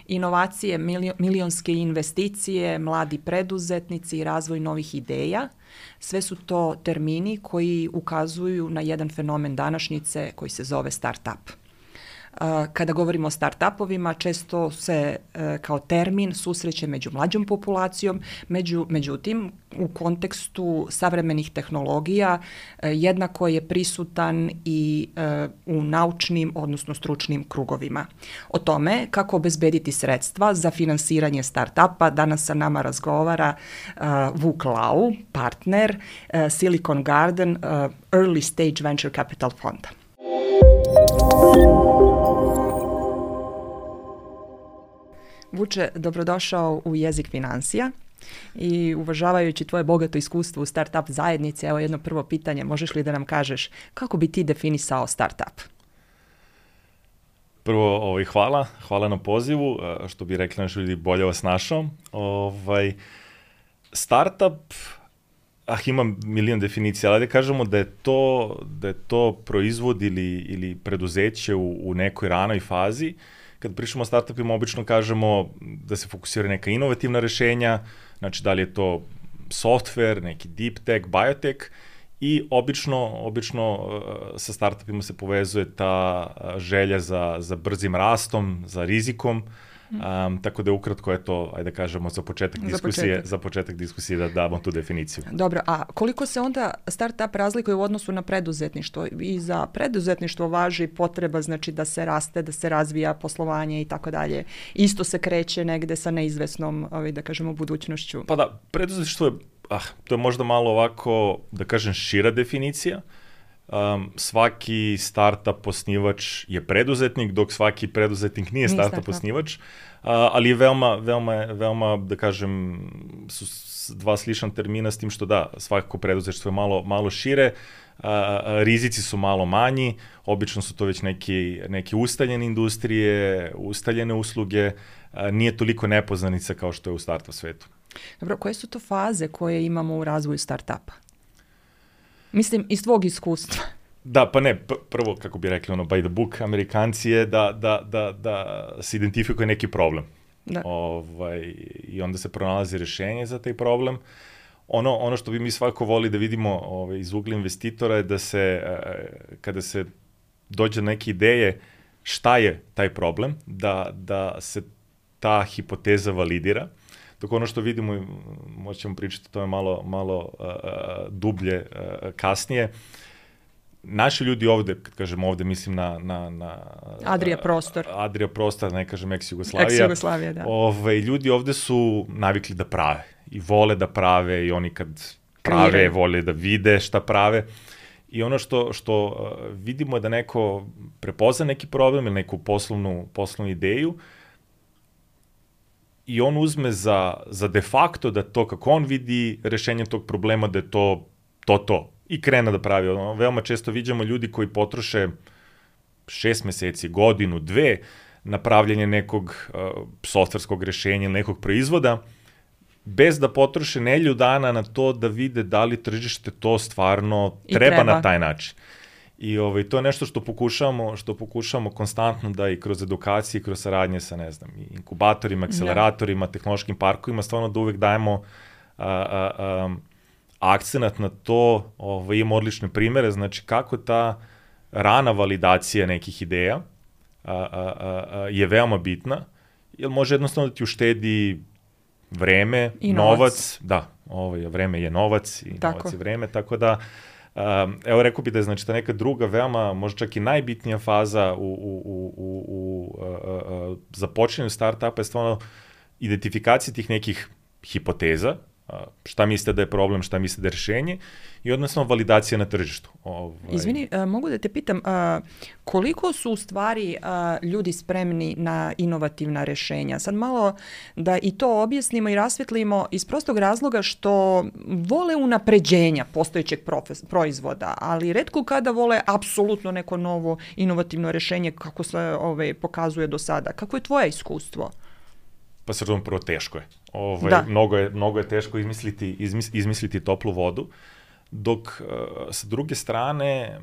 inovacije, milionske investicije, mladi preduzetnici i razvoj novih ideja. Sve su to termini koji ukazuju na jedan fenomen današnjice koji se zove start-up. Kada govorimo o start-upovima, često se kao termin susreće među mlađom populacijom, međutim, u kontekstu savremenih tehnologija jednako je prisutan i u naučnim, odnosno stručnim krugovima. O tome kako obezbediti sredstva za finansiranje start-upa danas sa nama razgovara Vuk Lau, partner Silicon Garden Early Stage Venture Capital fonda. Vuče, dobrodošao u Jezik financija i uvažavajući tvoje bogato iskustvo u startup zajednici, evo jedno prvo pitanje, možeš li da nam kažeš kako bi ti definisao startup? Prvo, hvala na pozivu, što bi rekli naši ljudi, bolje vas našao. Startup, ima milion definicija, ali da kažemo da je to proizvod ili preduzeće u nekoj ranoj fazi. Kad pričamo o startupima, obično kažemo da se fokusira neka inovativna rešenja, znači da li je to software, neki deep tech, biotech, i obično sa startupima se povezuje ta želja za brzim rastom, za rizikom, tako da je ukratko je to, ajde da kažemo, za početak diskusije da damo tu definiciju. Dobro, a koliko se onda startup razlikuje u odnosu na preduzetništvo? I za preduzetništvo važi potreba, znači da se raste, da se razvija poslovanje i tako dalje. Isto se kreće negde sa neizvesnom, da kažemo, budućnošću. Pa da, preduzetništvo je, to je možda malo ovako, da kažem, šira definicija. Svaki startup osnivač je preduzetnik, dok svaki preduzetnik nije startup osnivač, ali je veoma, da kažem, su dva slična termina s tim što da, svakako preduzetništvo je malo šire, rizici su malo manji, obično su to već neke ustaljene industrije, ustaljene usluge, nije toliko nepoznanica kao što je u startup svetu. Dobro, koje su to faze koje imamo u razvoju startupa? Mislim, iz tvog iskustva. Da, pa ne, prvo, kako bi rekli, by the book, Amerikanci je da se identifikuje neki problem. I onda se pronalazi rešenje za taj problem. Ono što bi mi svako voli da vidimo iz ugla investitora je da se, kada se dođe do neke ideje šta je taj problem, da se ta hipoteza validira. Dok ono što vidimo, možemo pričati o tome malo dublje kasnije, naši ljudi ovde, kad kažem ovde, mislim na Adria prostor. Adria prostor, ne kažem ex-Jugoslavija. Ex-Jugoslavija, da. Ljudi ovde su navikli da prave i vole da prave i oni kad prave, vole da vide šta prave. I ono što vidimo je da neko prepozna neki problem ili neku poslovnu ideju, i on uzme za de facto da to kako on vidi rešenje tog problema, da je to. I krene da pravi. Veoma često viđamo ljudi koji potroše 6 meseci, godinu, 2 na pravljanje nekog softverskog rešenja ili nekog proizvoda, bez da potroše nedelju dana na to da vide da li tržište to stvarno treba na taj način. I to je nešto što pokušavamo konstantno da i kroz edukacije, kroz saradnje sa, ne znam, inkubatorima, akceleratorima, tehnološkim parkovima, stvarno da uvek dajemo akcenat na to, imamo odlične primere, znači kako ta rana validacija nekih ideja je veoma bitna, jer može jednostavno da ti uštedi vreme, novac. Da, vreme je novac i novac je vreme, tako da evo rekao bi da je znači ta neka druga veoma, možda čak i najbitnija faza u započinjanju startupa je stvarno identifikacija tih nekih hipoteza, šta mislite da je problem, šta mislite da je rešenje i odnosno validacija na tržištu. Izvini, mogu da te pitam, koliko su u stvari ljudi spremni na inovativna rešenja? Sad malo da i to objasnimo i rasvetlimo iz prostog razloga što vole unapređenja postojećeg proizvoda, ali retko kada vole apsolutno neko novo inovativno rešenje kako se pokazuje do sada. Kako je tvoje iskustvo? Pa srđom, prvo teško je. Mnogo je teško izmisliti toplu vodu, dok sa druge strane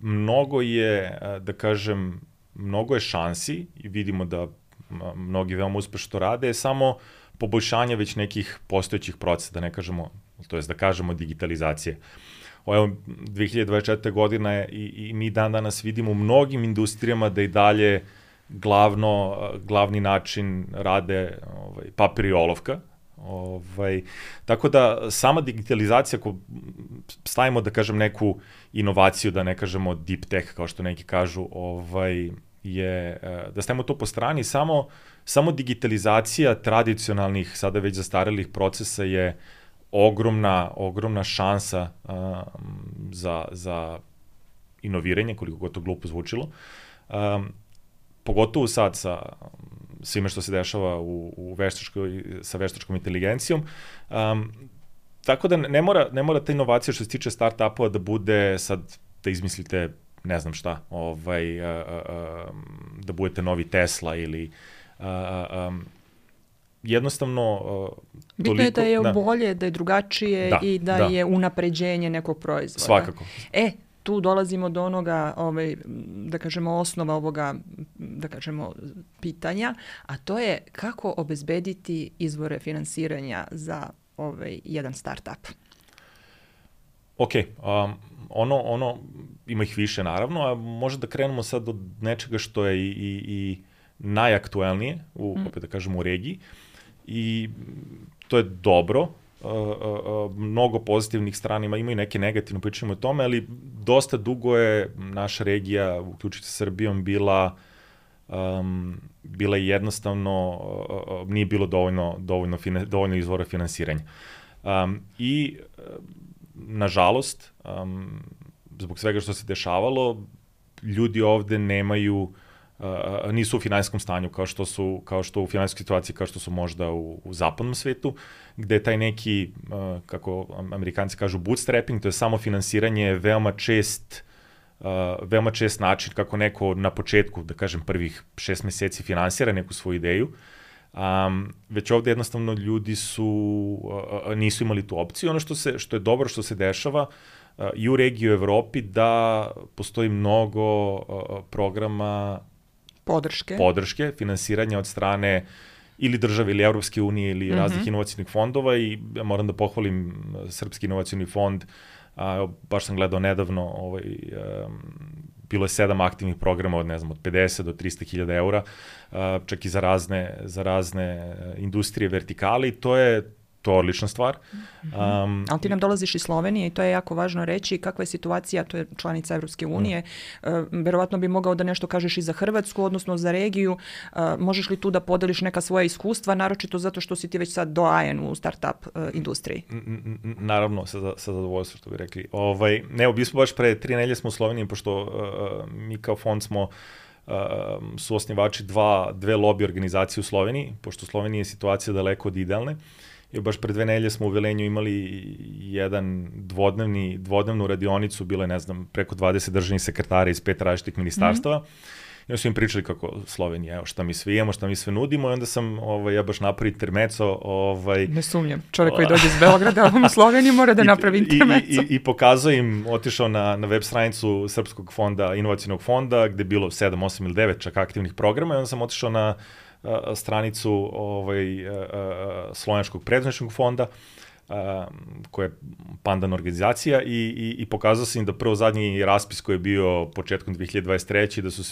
mnogo je, da kažem, mnogo je šansi i vidimo da mnogi veoma uspešno rade, je samo poboljšanje već nekih postojećih procesa, da ne kažemo, to jest da kažemo digitalizacije. Evo, 2024. godina je i mi dan danas vidimo u mnogim industrijama da i dalje glavni način rade papir i olovka. Tako da sama digitalizacija, ako stavimo da kažem neku inovaciju, da ne kažemo deep tech kao što neki kažu, je da stavimo to po strani, samo digitalizacija tradicionalnih, sada već zastarelih procesa je ogromna šansa za inoviranje, koliko god to glupo zvučilo. Pogotovo sad sa svime što se dešava sa veštačkom inteligencijom. Tako da ne mora ta inovacija što se tiče start-upova da bude sad da izmislite ne znam šta, da budete novi Tesla ili jednostavno bitno je da je bolje, da je drugačije i da je unapređenje nekog proizvoda. Svakako. Tu dolazimo do onoga, da kažemo, osnova ovoga, da kažemo, pitanja, a to je kako obezbediti izvore finansiranja za jedan start-up. Ok, ono ima ih više naravno, a možda da krenemo sad od nečega što je i najaktuelnije, opet da kažemo u regiji, i to je dobro. Mnogo pozitivnih strana ima i neke negativne, pričamo o tome, ali dosta dugo je naša regija, uključujući sa Srbijom, bila jednostavno, nije bilo dovoljno izvora finansiranja. I, nažalost, zbog svega što se dešavalo, ljudi ovde nisu u finansijskom stanju kao što u finansijskoj situaciji kao što su možda u zapadnom svetu, gde je taj neki, kako Amerikanci kažu, bootstrapping, to je samo finansiranje veoma čest način kako neko na početku, da kažem, prvih 6 meseci finansira neku svoju ideju. Već ovde jednostavno ljudi nisu imali tu opciju. Ono što je dobro što se dešava i u regiji u Evropi, da postoji mnogo programa podrške, finansiranja od strane ili države ili Evropske unije ili raznih inovacijnih fondova, i ja moram da pohvalim Srpski inovacijni fond. Baš sam gledao nedavno, bilo je 7 aktivnih programa od 50 do 300.000 eura, čak i za razne industrije, vertikale, i to je odlična stvar. Ali ti nam dolaziš iz Slovenije i to je jako važno reći. Kakva je situacija, to je članica Evropske unije. Verovatno bi mogao da nešto kažeš i za Hrvatsku, odnosno za regiju. Možeš li tu da podeliš neka svoja iskustva, naročito zato što si ti već sad doajen u start-up industriji? Naravno, sa zadovoljstvom, što bi rekli. Mi smo baš pre 3 nedelje smo u Sloveniji, pošto mi kao fond smo su osnivači dve lobby organizacije u Sloveniji, pošto u Sloveniji je situacija daleko od idealne. I baš pre 2 nedelje smo u Velenju imali jedan dvodnevnu radionicu, bilo je, preko 20 državnih sekretara iz 5 različitih ministarstava. I onda su im pričali kako Slovenija, evo šta mi sve imamo, šta mi sve nudimo, i onda sam ja baš napravio intermeco. Ne sumnjam, čovjek koji dođe iz Beograda u Sloveniju mora da napravi intermeco. I pokazao im, otišao na web stranicu Srpskog fonda, inovacijnog fonda, gde je bilo 7, 8 ili 9 čak aktivnih programa, i onda sam otišao na stranicu Slovenskog preduzetničkog fonda, koja je pandan organizacija, i pokazao sam im da prvo zadnji raspis koji je bio početkom 2023. da su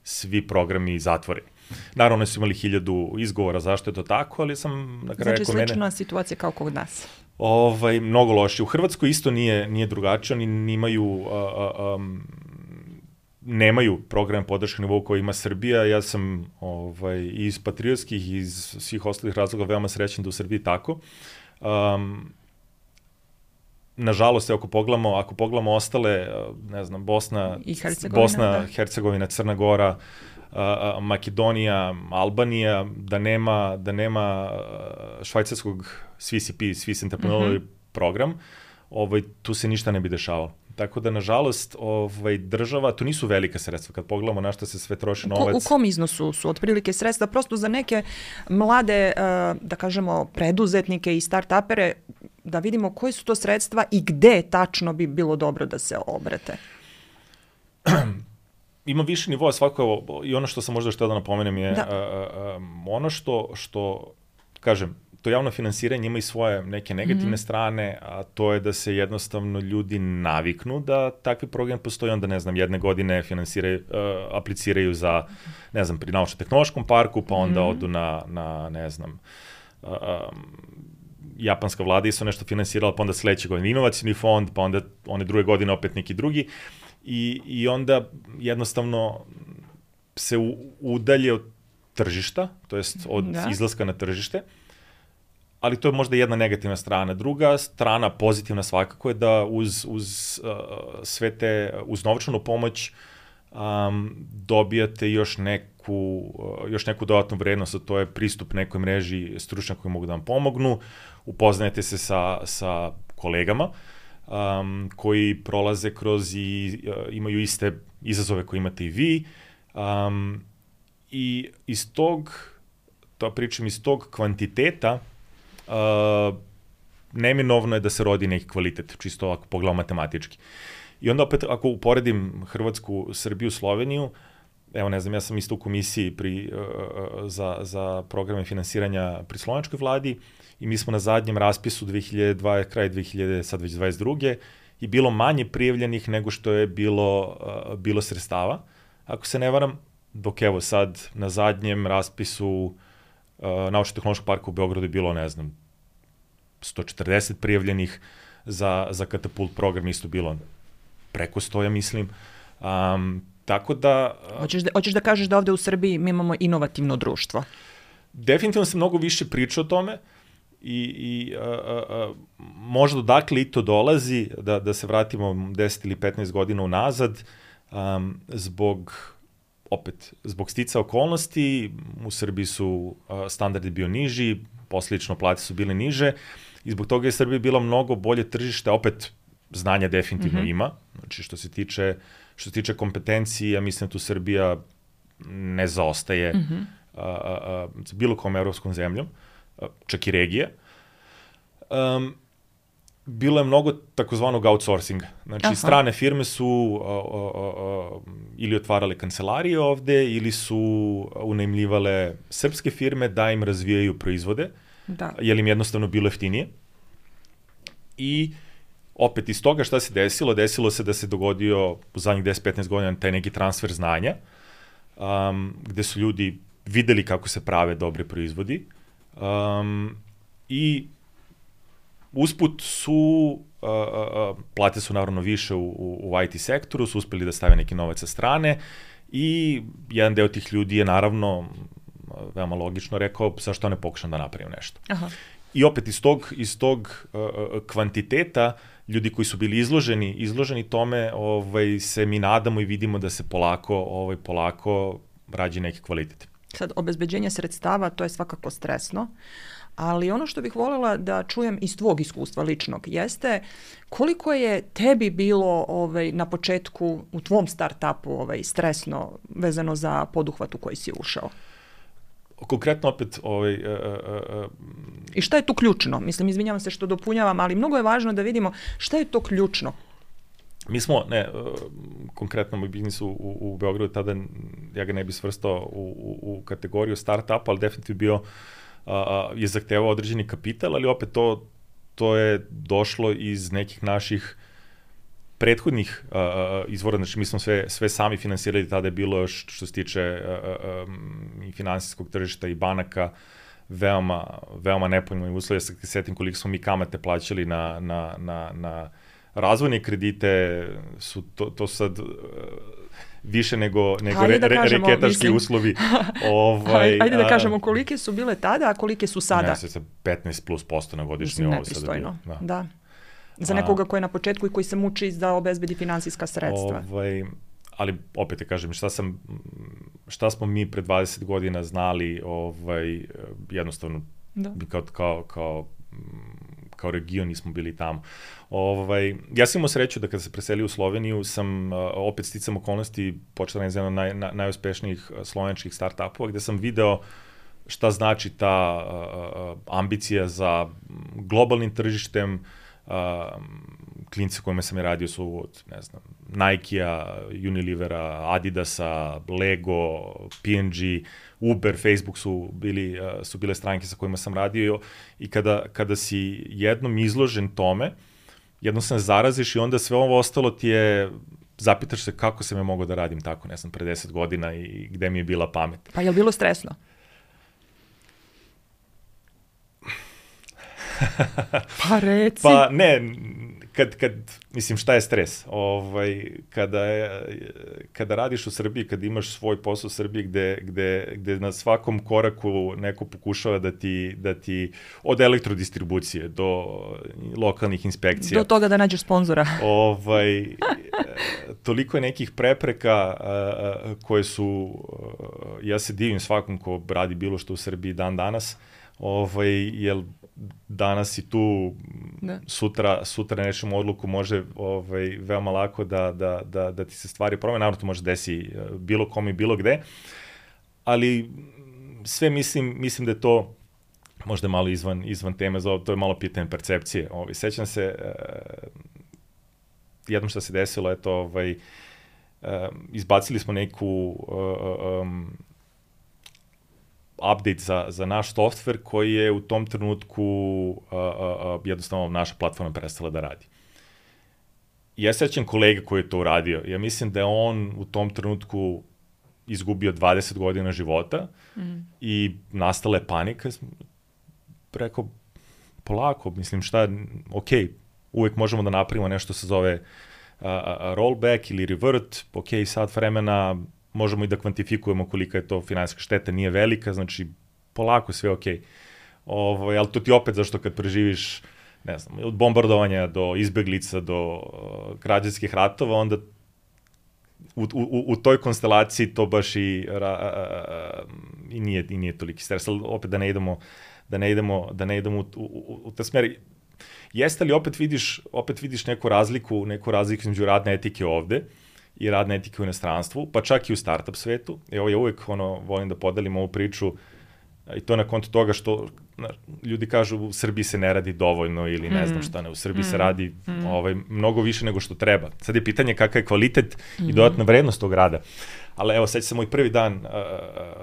svi programi zatvoreni. Naravno, oni su imali 1000 izgovora zašto je to tako, ali sam na kraju rekao slična situacija kao kod nas. Mnogo loše. U Hrvatskoj isto nije drugačije, oni nemaju program podrške nivou koji ima Srbija. Ja sam iz patriotskih i iz svih ostalih razloga veoma srećan da u Srbiji tako. Nažalost, ako pogledamo ostale, Bosna, Hercegovina, Crna Gora, Makedonija, Albanija, da nema švajcarskog SWCP, Swiss Entrepreneurial program, tu se ništa ne bi dešavalo. Tako da, nažalost, država, to nisu velika sredstva, kad pogledamo na što se sve troši novac. U kom iznosu su otprilike sredstva? Prosto za neke mlade, da kažemo, preduzetnike i start-upere, da vidimo koji su to sredstva i gde tačno bi bilo dobro da se obrate. ima više nivoa svakako, i ono što sam možda htio da napomenem je ono što, kažem, to javno finansiranje ima i svoje neke negativne strane, a to je da se jednostavno ljudi naviknu da takvi program postoji, onda, ne znam, jedne godine apliciraju za, ne znam, pri naučno-tehnološkom parku, pa onda odu na ne znam, japanska vlada isto nešto finansirala, pa onda sledeće godine inovacijni fond, pa onda one druge godine opet neki drugi, i onda jednostavno se udalje od tržišta, to jest od izlaska na tržište, ali to je možda jedna negativna strana. Druga strana, pozitivna svakako, je da uz sve te, uz novčanu pomoć dobijate još neku dodatnu vrednost, a to je pristup nekoj mreži stručnjaka koji mogu da vam pomognu, upoznajete se sa kolegama koji prolaze kroz i imaju iste izazove koje imate i vi, i iz tog kvantiteta neminovno je da se rodi neki kvalitet, čisto ako pogledamo matematički. I onda opet, ako uporedim Hrvatsku, Srbiju, Sloveniju, evo, ne znam, ja sam isto u komisiji za programe finansiranja pri slovenačkoj vladi i mi smo na zadnjem raspisu kraj 2022. i bilo manje prijavljenih nego što je bilo sredstava, ako se ne varam, dok evo sad na zadnjem raspisu Naučno-tehnološkog parka u Beogradu je bilo, ne znam, 140 prijavljenih, za katapult program isto bilo preko 100, ja mislim. Tako da... Hoćeš da kažeš da ovde u Srbiji mi imamo inovativno društvo? Definitivno se mnogo više priča o tome i možda odakle i to dolazi, da se vratimo 10 ili 15 godina unazad, zbog stica okolnosti, u Srbiji su standardi bio niži, posljedično plate su bile niže i zbog toga je Srbija bila mnogo bolje tržište, opet znanja definitivno ima, znači što se tiče kompetencije, ja mislim da tu Srbija ne zaostaje bilo kom evropskom zemljom, čak i regije. Bilo je mnogo takozvanog outsourcinga. Znači, strane firme su ili otvarale kancelarije ovde, ili su unajmljivale srpske firme da im razvijaju proizvode, jer im jednostavno bilo jeftinije. I opet iz toga šta se desilo? Desilo se da se dogodio u zadnjih 10-15 godina taj neki transfer znanja, gde su ljudi videli kako se prave dobri proizvodi i usput su, plate su naravno više u IT sektoru, su uspeli da stave neki novac sa strane i jedan deo tih ljudi je naravno veoma logično rekao zašto ne pokušam da napravim nešto. I opet iz tog kvantiteta ljudi koji su bili izloženi tome, se mi nadamo i vidimo da se polako rađi neki kvalitet. Sad, obezbeđenje sredstava, to je svakako stresno, ali ono što bih voljela da čujem iz tvog iskustva ličnog jeste koliko je tebi bilo na početku u tvom start-upu stresno vezano za poduhvat u koji si ušao? Konkretno opet... I šta je tu ključno? Mislim, izvinjavam se što dopunjavam, ali mnogo je važno da vidimo šta je to ključno. Mi smo, konkretno moj biznis u Beogradu, tada ja ga ne bi svrstao u kategoriju start-up, ali definitivno je zahtevao određeni kapital, ali opet to je došlo iz nekih naših prethodnih izvora, znači mi smo sve sami finansirali, tada je bilo što se tiče i finansijskog tržišta i banaka veoma nepovoljni uslovi. Ja se setim koliko smo mi kamate plaćali na razvojne kredite, to sad više nego reketaški uslovi. Ajde da kažemo kolike su bile tada, a kolike su sada. Ne, se 15% na godišnji ovo sada bilo. Da. Za nekoga koji je na početku i koji se muči da obezbedi finansijska sredstva. Ali opet te kažem, šta smo mi pre 20 godina znali, jednostavno kao region nismo bili tamo. Ja sam imao sreću da kada se preselio u Sloveniju sam opet sticam okolnosti počela jedna od najuspešnijih slovenačkih start-upova gde sam video šta znači ta ambicija za globalnim tržištem, klinci kojima sam je radio su od, ne znam, Nike-a, Unilevera, Adidasa, Lego, P&G, Uber, Facebook su bile stranke sa kojima sam radio i kada si jednom izložen tome, jednom se zaraziš i onda sve ovo ostalo ti je, zapitaš se kako sam ja mogao da radim tako, ne znam, pre 10 godina i gde mi je bila pamet. Pa je li bilo stresno? Pa reci. Pa ne, mislim, šta je stres? Kada radiš u Srbiji, kada imaš svoj posao u Srbiji gde na svakom koraku neko pokušava da ti od elektrodistribucije do lokalnih inspekcija. Do toga da nađeš sponzora. Toliko je nekih prepreka koje su, ja se divim svakom ko radi bilo što u Srbiji dan danas, jer danas si tu, sutra nečemu odluku može veoma lako da ti se stvari promene. Naravno, to može desi bilo kome i bilo gde, ali sve mislim da je to možda malo izvan teme, to je malo pitanje percepcije. Sećam se, jednom što se desilo, izbacili smo neku update za naš software koji je u tom trenutku jednostavno naša platforma prestala da radi. Ja sećam kolega koji je to uradio. Ja mislim da je on u tom trenutku izgubio 20 godina života i nastala je panika. Rekao, polako, mislim ok, uvek možemo da napravimo nešto se zove rollback ili revert, ok, sat vremena, možemo i da kvantifikujemo kolika je to finansijska šteta, nije velika, znači polako, sve okej. Ali to ti opet, zašto kad preživiš, ne znam, od bombardovanja do izbeglica, do građanskih ratova, onda u toj konstelaciji to baš i nije toliki stres, ali opet da ne idemo u te smeri. Jeste li opet vidiš neku razliku između radne etike ovde i radne etike u inostranstvu, pa čak i u startup svetu. Evo, ja uvek volim da podelim ovu priču i to na konto toga što ljudi kažu u Srbiji se ne radi dovoljno ili ne znam šta ne, u Srbiji se radi mnogo više nego što treba. Sad je pitanje kakav je kvalitet i dodatna vrednost tog rada. Ali evo, seća se moj prvi dan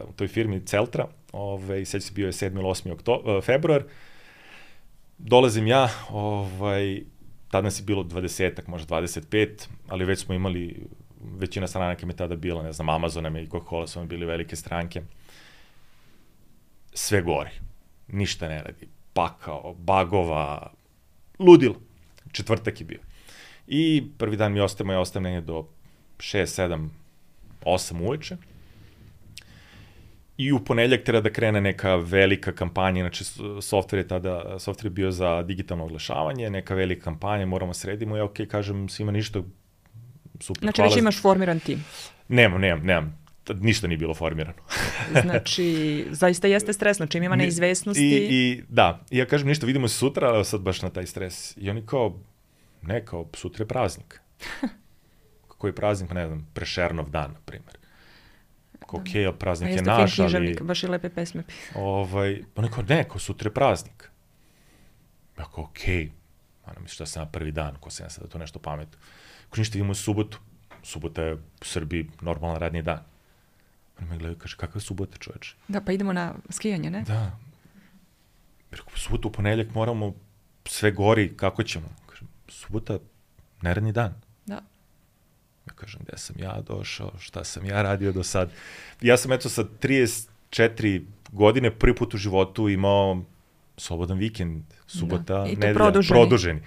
u toj firmi Celtra, seća se bio je 7. ili 8. februar, dolazim ja, tad nas je bilo 20-ak, možda 25, ali već smo imali, većina stranaka mi tada bila, ne znam, Amazon i Coca-Cola su mi bili velike stranke. Sve gori. Ništa ne radi. Pakao, bagova, ludilo. Četvrtak je bio. I prvi dan mi ostajem negdje do 6, 7, 8 uveče. I u ponedeljak treba da krene neka velika kampanja, inače software je bio za digitalno oglašavanje, neka velika kampanja, moramo sredimo, ja kažem svima ništa, super. Znači već imaš formiran tim? Nemam, ništa nije bilo formirano. Znači, zaista jeste stresno, čim ima neizvesnosti. Da, i ja kažem ništa, vidimo se sutra, ali sad baš na taj stres. I oni kao sutra je praznik. Kako je praznik, ne znam, Prešernov dan, na primjer. Okej, praznik je naš, ali... Baš i lepe pesme. Oni kao, sutra je praznik. Ja kao, okej, šta sam na prvi dan, ko sam ja sada to nešto pametno. Ako ništa, vidimo subotu. Subota je u Srbiji normalan radni dan. Oni me gledaju i kaže, kakva je subota, čoveče? Da, pa idemo na skijanje, ne? Da. Subotu, u ponedeljak moramo sve gori, kako ćemo? Kažem, subota, neradni dan. Da. Ja kažem, gde sam ja došao, šta sam ja radio do sad. Ja sam sa 34 godine prvi put u životu imao slobodan vikend, subota, nedelja, produženi.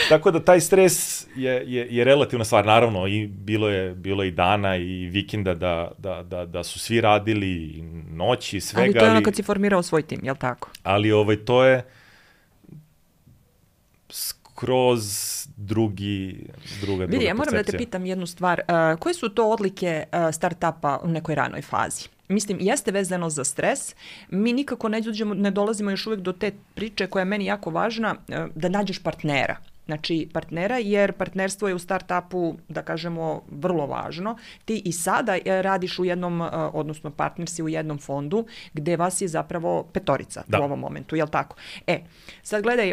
Tako da taj stres je relativna stvar. Naravno, i bilo je i dana i vikenda da su svi radili, i noći, i svega. Ali to je ono kad si formirao svoj tim, jel tako? Ali to je kroz druga percepcija. Vidi, ja moram da te pitam jednu stvar. Koje su to odlike startupa u nekoj ranoj fazi? Mislim, jeste vezano za stres. Mi nikako ne dolazimo još uvijek do te priče koja je meni jako važna, da nađeš partnera. Znači, partnera, jer partnerstvo je u startupu, da kažemo, vrlo važno. Ti i sada radiš u jednom, odnosno partner si u jednom fondu, gde vas je zapravo 5 u ovom momentu, jel tako? Sad gledaj,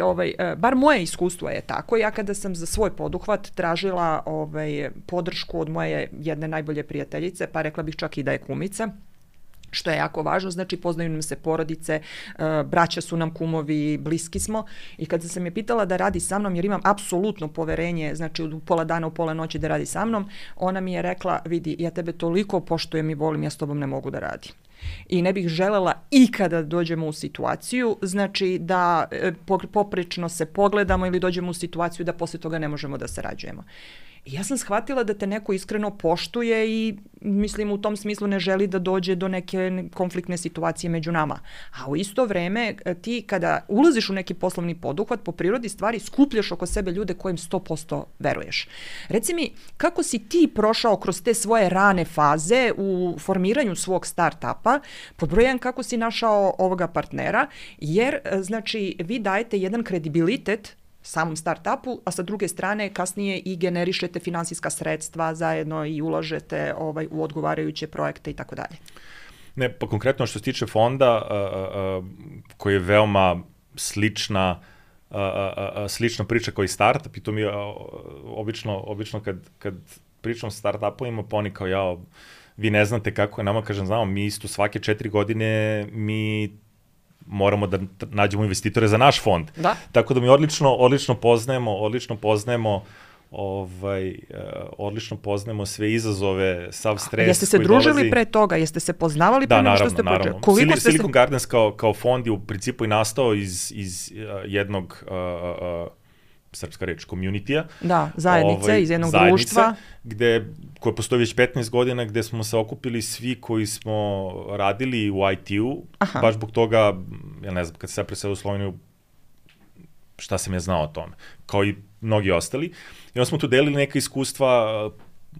bar moje iskustvo je tako. Ja kada sam za svoj poduhvat tražila podršku od moje jedne najbolje prijateljice, pa rekla bih čak i da je kumica, što je jako važno, znači poznaju nam se porodice, braća su nam kumovi, bliski smo, i kada sam je pitala da radi sa mnom, jer imam apsolutno poverenje, znači u pola dana, u pola noći da radi sa mnom, ona mi je rekla, vidi, ja tebe toliko poštujem i volim, ja s tobom ne mogu da radim. I ne bih želela ikada dođemo u situaciju, znači da poprično se pogledamo ili dođemo u situaciju da posle toga ne možemo da sarađujemo. I ja sam shvatila da te neko iskreno poštuje i mislim u tom smislu ne želi da dođe do neke konfliktne situacije među nama. A u isto vreme ti kada ulaziš u neki poslovni poduhvat, po prirodi stvari skupljaš oko sebe ljude kojim 100% veruješ. Reci mi, kako si ti prošao kroz te svoje rane faze u formiranju svog startupa, pod broj 1 kako si našao ovoga partnera, jer znači vi dajete jedan kredibilitet samom startupu, a sa druge strane kasnije i generišete finansijska sredstva zajedno i ulažete u odgovarajuće projekte i tako dalje. Ne, pa konkretno što se tiče fonda, koji je veoma slična priča kao i startup, i to mi je obično kad pričam sa startupovima, pa oni kao vi ne znate kako je nama, kažem, znamo, mi isto svake 4 godine mi moramo da nađemo investitore za naš fond. Da. Tako da mi odlično poznajemo sve izazove, sav stres koji dolazi. Jeste se družili pre toga? Jeste se poznavali pre nego što ste počeli? Silicon Gardens kao fond je u principu i nastao iz jednog srpska reč, community-a. Da, zajednice, iz jednog društva. Koje postoji već 15 godina, gde smo se okupili svi koji smo radili u IT-u. Baš zbog toga, ja ne znam, kad se ja preselio u Sloveniju, šta sam ja znao o tome, kao i mnogi ostali. I onda smo tu delili neka iskustva.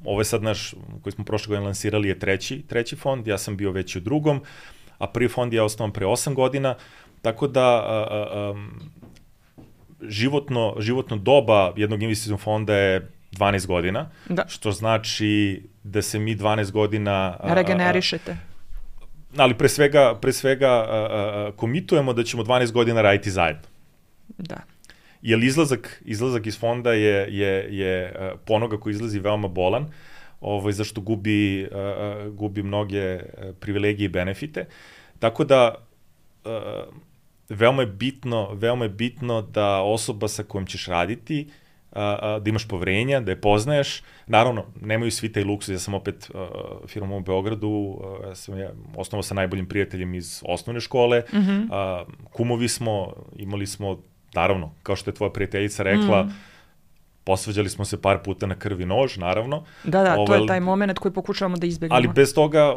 Ovo je sad naš, koji smo prošle godine lansirali, je treći fond, ja sam bio već u drugom, a prvi fond je osnovan pre 8 godina, tako da životno doba jednog investicijnog fonda je 12 godina, što znači da se mi 12 godina regenerišete. Ali pre svega komitujemo da ćemo 12 godina raditi zajedno. Da. Jer izlazak iz fonda je po onoga koji izlazi veoma bolan, zašto gubi mnoge privilegije i benefite. Tako da veoma je bitno da osoba sa kojom ćeš raditi, da imaš poverenja, da je poznaješ. Naravno, nemaju svi taj luksuz. Ja sam opet firmom u Beogradu, osnovao sa najboljim prijateljem iz osnovne škole, kumovi smo, imali smo, naravno, kao što je tvoja prijateljica rekla, posvađali smo se par puta na krv i nož, naravno. Da, to je taj moment koji pokušavamo da izbegnemo. Ali bez toga,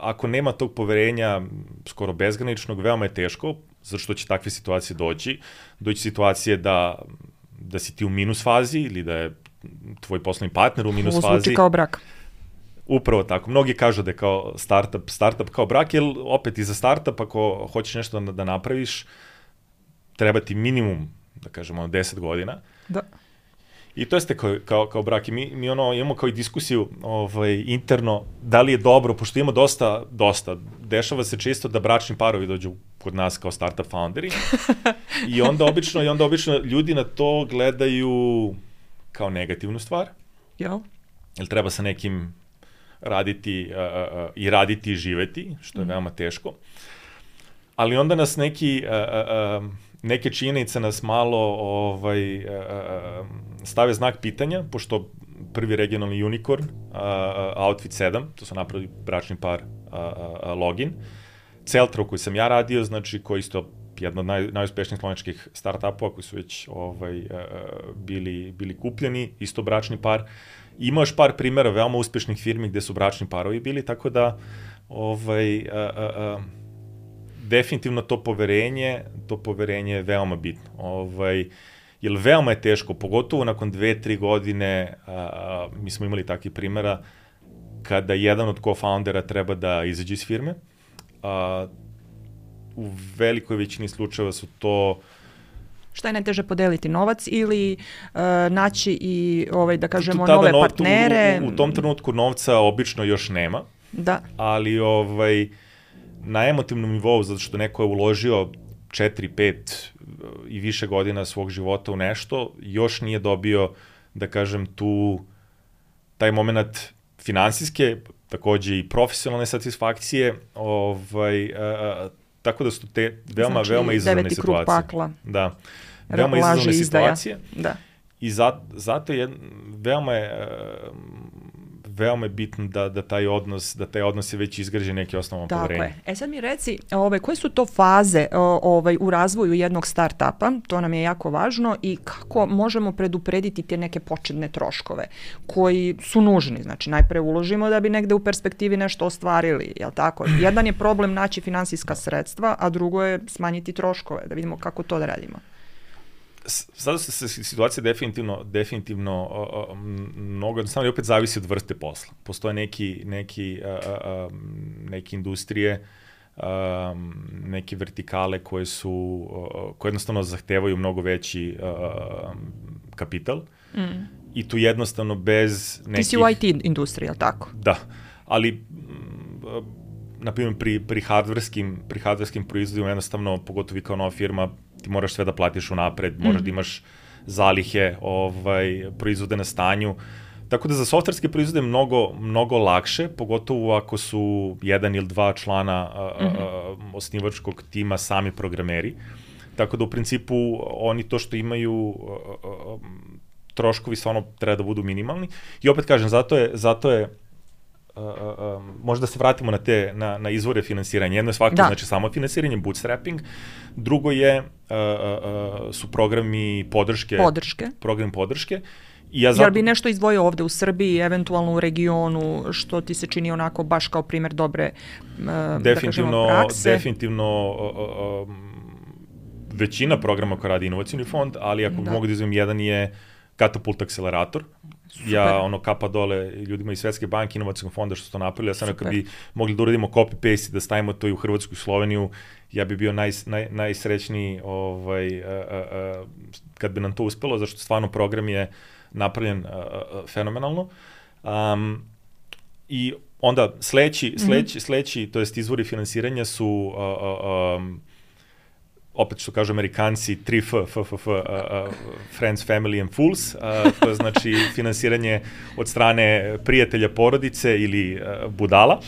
ako nema tog poverenja skoro bezgraničnog, veoma je teško, zato što će takve situacije doći. Doći situacije da si ti u minus fazi ili da je tvoj poslovni partner u minus fazi. Ovo zvuči kao brak. Upravo tako. Mnogi kažu da je kao startup kao brak, jer opet i za startup, ako hoćeš nešto da napraviš, treba ti minimum, da kažemo, 10 godina. Da. I to jeste kao brak. I mi imamo kao i diskusiju interno, da li je dobro, pošto imamo dosta. Dešava se često da bračni parovi dođu kod nas kao startup founderi. I onda obično ljudi na to gledaju kao negativnu stvar. Jel? Jer treba sa nekim raditi i živeti, što je veoma teško. Ali onda nas neke činjenice nas malo stave znak pitanja, pošto prvi regionalni unicorn, Outfit 7, to su napravili bračni par Login, Celtra u koji sam ja radio, znači koji isto jedna od najuspešnijih slovenskih startupova koji su već bili kupljeni, isto bračni par. Ima još par primjera veoma uspešnih firmi gde su bračni parovi bili, tako da definitivno to poverenje je veoma bitno. Jer veoma je teško, pogotovo nakon 2-3 godine, mi smo imali takvih primjera, kada jedan od co-foundera treba da izađe iz firme. U velikoj većini slučajeva su to Šta je najteže, podeliti novac ili naći i, da kažemo, nove partnere? U tom trenutku novca obično još nema, ali na emotivnom nivou, zato što neko je uložio 4, 5 i više godina svog života u nešto, još nije dobio, da kažem, taj moment finansijske, takođe i profesionalne satisfakcije, tako da su te veoma izazovne situacije. Krug pakla. Da, veoma izazovne situacije. Da. I zato je veoma je bitno da taj odnos je već izgrađen neki osnovan poverenje. Tako je. Sad mi reci, koje su to faze u razvoju jednog start-upa, to nam je jako važno, i kako možemo preduprediti te neke početne troškove koji su nužni. Znači, najpre uložimo da bi negde u perspektivi nešto ostvarili, jel tako? Jedan je problem naći finansijska sredstva, a drugo je smanjiti troškove, da vidimo kako to da radimo. Sada se situacija definitivno mnogo jednostavno i opet zavisi od vrste posla. Postoje neke industrije, neke vertikale koje jednostavno zahtevaju mnogo veći kapital i tu jednostavno bez nekih... Ti si u IT industriji, ali tako? Da, ali na primjer pri hardverskim proizvodima jednostavno, pogotovo kao nova firma, ti moraš sve da platiš unapred, moraš da imaš zalihe, proizvode na stanju. Tako da za softverske proizvode je mnogo lakše, pogotovo ako su 1 ili 2 člana osnivačkog tima sami programeri. Tako da u principu oni to što imaju troškovi stvarno treba da budu minimalni. I opet kažem, zato je možda se vratimo na izvore finansiranja. Jedno je svakako znači samo finansiranje, bootstrapping. Drugo su programi podrške. Programi podrške. Jel bi nešto izdvojio ovde u Srbiji, eventualno u regionu, što ti se čini onako baš kao primjer dobre da kažemo, prakse? Definitivno većina programa koja radi Inovacioni fond, ali ako mogu da izvojim, jedan je Katapult akcelerator. Super. Ja kapa dole ljudima iz Svetske banke, Inovacijskog fonda što su to napravili. Ja sam kad bi mogli da uradimo copy-paste i da stavimo to i u Hrvatsku i Sloveniju, ja bi bio najsrećniji kad bi nam to uspelo, zašto stvarno program je napravljen fenomenalno. I onda sledeći, to jest izvori finansiranja su opet što kažu Amerikanci, 3F, Friends, Family and Fools, to je znači finansiranje od strane prijatelja, porodice ili budala.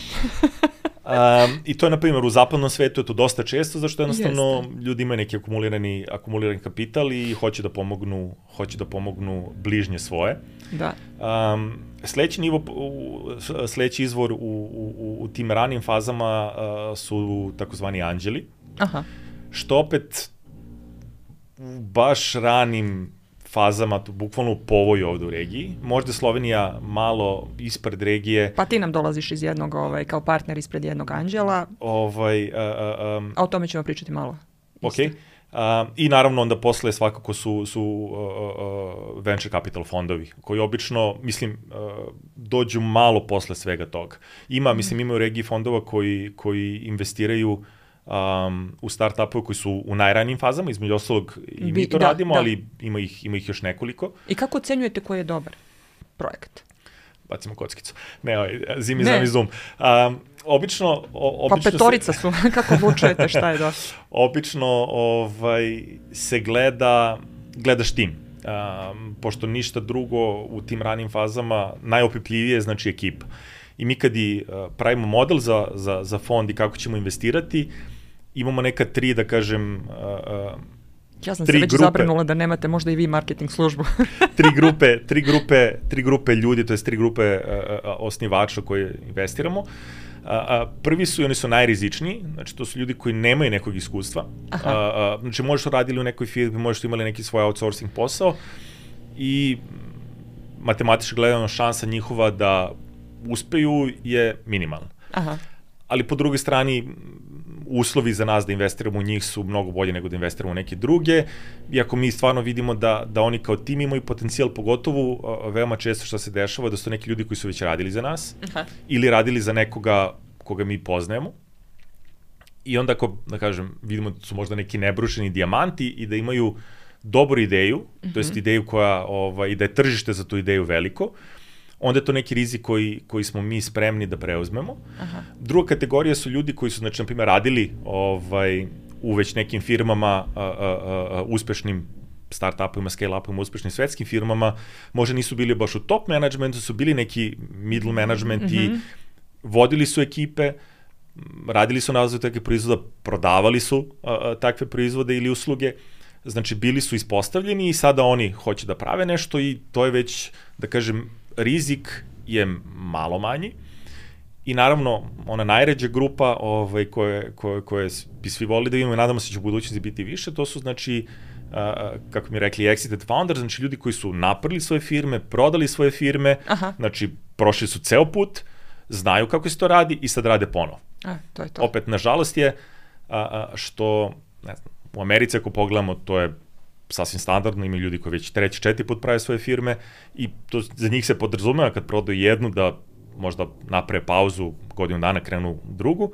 I to je, na primjer, u zapadnom svetu je to dosta često, zašto jednostavno ljudi imaju neki akumulirani kapital i hoće da pomognu bližnje svoje. Da. Sledeći izvor u tim ranim fazama su takozvani anđeli. Aha. Što opet u baš ranim fazama, bukvalno u povoj ovde u regiji. Možda Slovenija malo ispred regije. Pa ti nam dolaziš iz jednog, kao partner ispred jednog anđela. A o tome ćemo pričati malo. Ok. I naravno onda posle svakako su venture capital fondovi, koji obično, mislim, dođu malo posle svega toga. Ima u regiji fondova koji investiraju u start-upove koji su u najranijim fazama, između ostalog i mi to radimo, ali ima ih još nekoliko. I kako ocenjujete koji je dobar projekt? Bacimo kockicu. Zimi znam i zoom. Obično pa petorica su, kako vučujete, šta je dosta? Obično se gledaš tim. Pošto ništa drugo u tim ranim fazama, najopipljivije znači ekipa. I mi kad pravimo model za fond i kako ćemo investirati, imamo neka 3, da kažem, ja sam se već zabrinula da nemate možda i vi marketing službu. tri grupe ljudi, to je 3 grupe osnivača koje investiramo. Prvi su i oni su najrizičniji, znači to su ljudi koji nemaju nekog iskustva. Znači možeš radili u nekoj firmi, možeš imali neki svoj outsourcing posao i matematički gledano šansa njihova da uspeju je minimalna. Ali po drugoj strani uslovi za nas da investiramo u njih su mnogo bolje nego da investiramo u neke druge. Iako mi stvarno vidimo da oni kao tim imaju potencijal, pogotovo veoma često što se dešava da su neki ljudi koji su već radili za nas ili radili za nekoga koga mi poznajemo. I onda ako, da kažem, vidimo da su možda neki nebrušeni dijamanti i da imaju dobru ideju, to jest ideju koja, i da je tržište za tu ideju veliko, onda je to neki rizik koji smo mi spremni da preuzmemo. Aha. Druga kategorija su ljudi koji su, znači, na primjer, radili u već nekim firmama, uspešnim start-upovima, scale-upovima, uspešnim svetskim firmama, možda nisu bili baš u top managementu, su bili neki middle management i vodili su ekipe, radili su na razvoju takvih proizvoda, prodavali su takve proizvode ili usluge, znači bili su ispostavljeni i sada oni hoće da prave nešto i to je već, da kažem, rizik je malo manji. I naravno, ona najređa grupa koje bi svi volili da vidimo i nadamo se će u budućnosti biti više, to su, znači, kako mi rekli, exited founders, znači ljudi koji su napravili svoje firme, prodali svoje firme, znači prošli su ceo put, znaju kako se to radi i sad rade ponovo. To je to. Opet, nažalost je što, ne znam, u Americi ako pogledamo, to je sasvim standardno, imaju ljudi koji već 3. 4. put prave svoje firme i to za njih se podrazumeva kad prodaju jednu da možda naprave pauzu, godinu dana krenu drugu,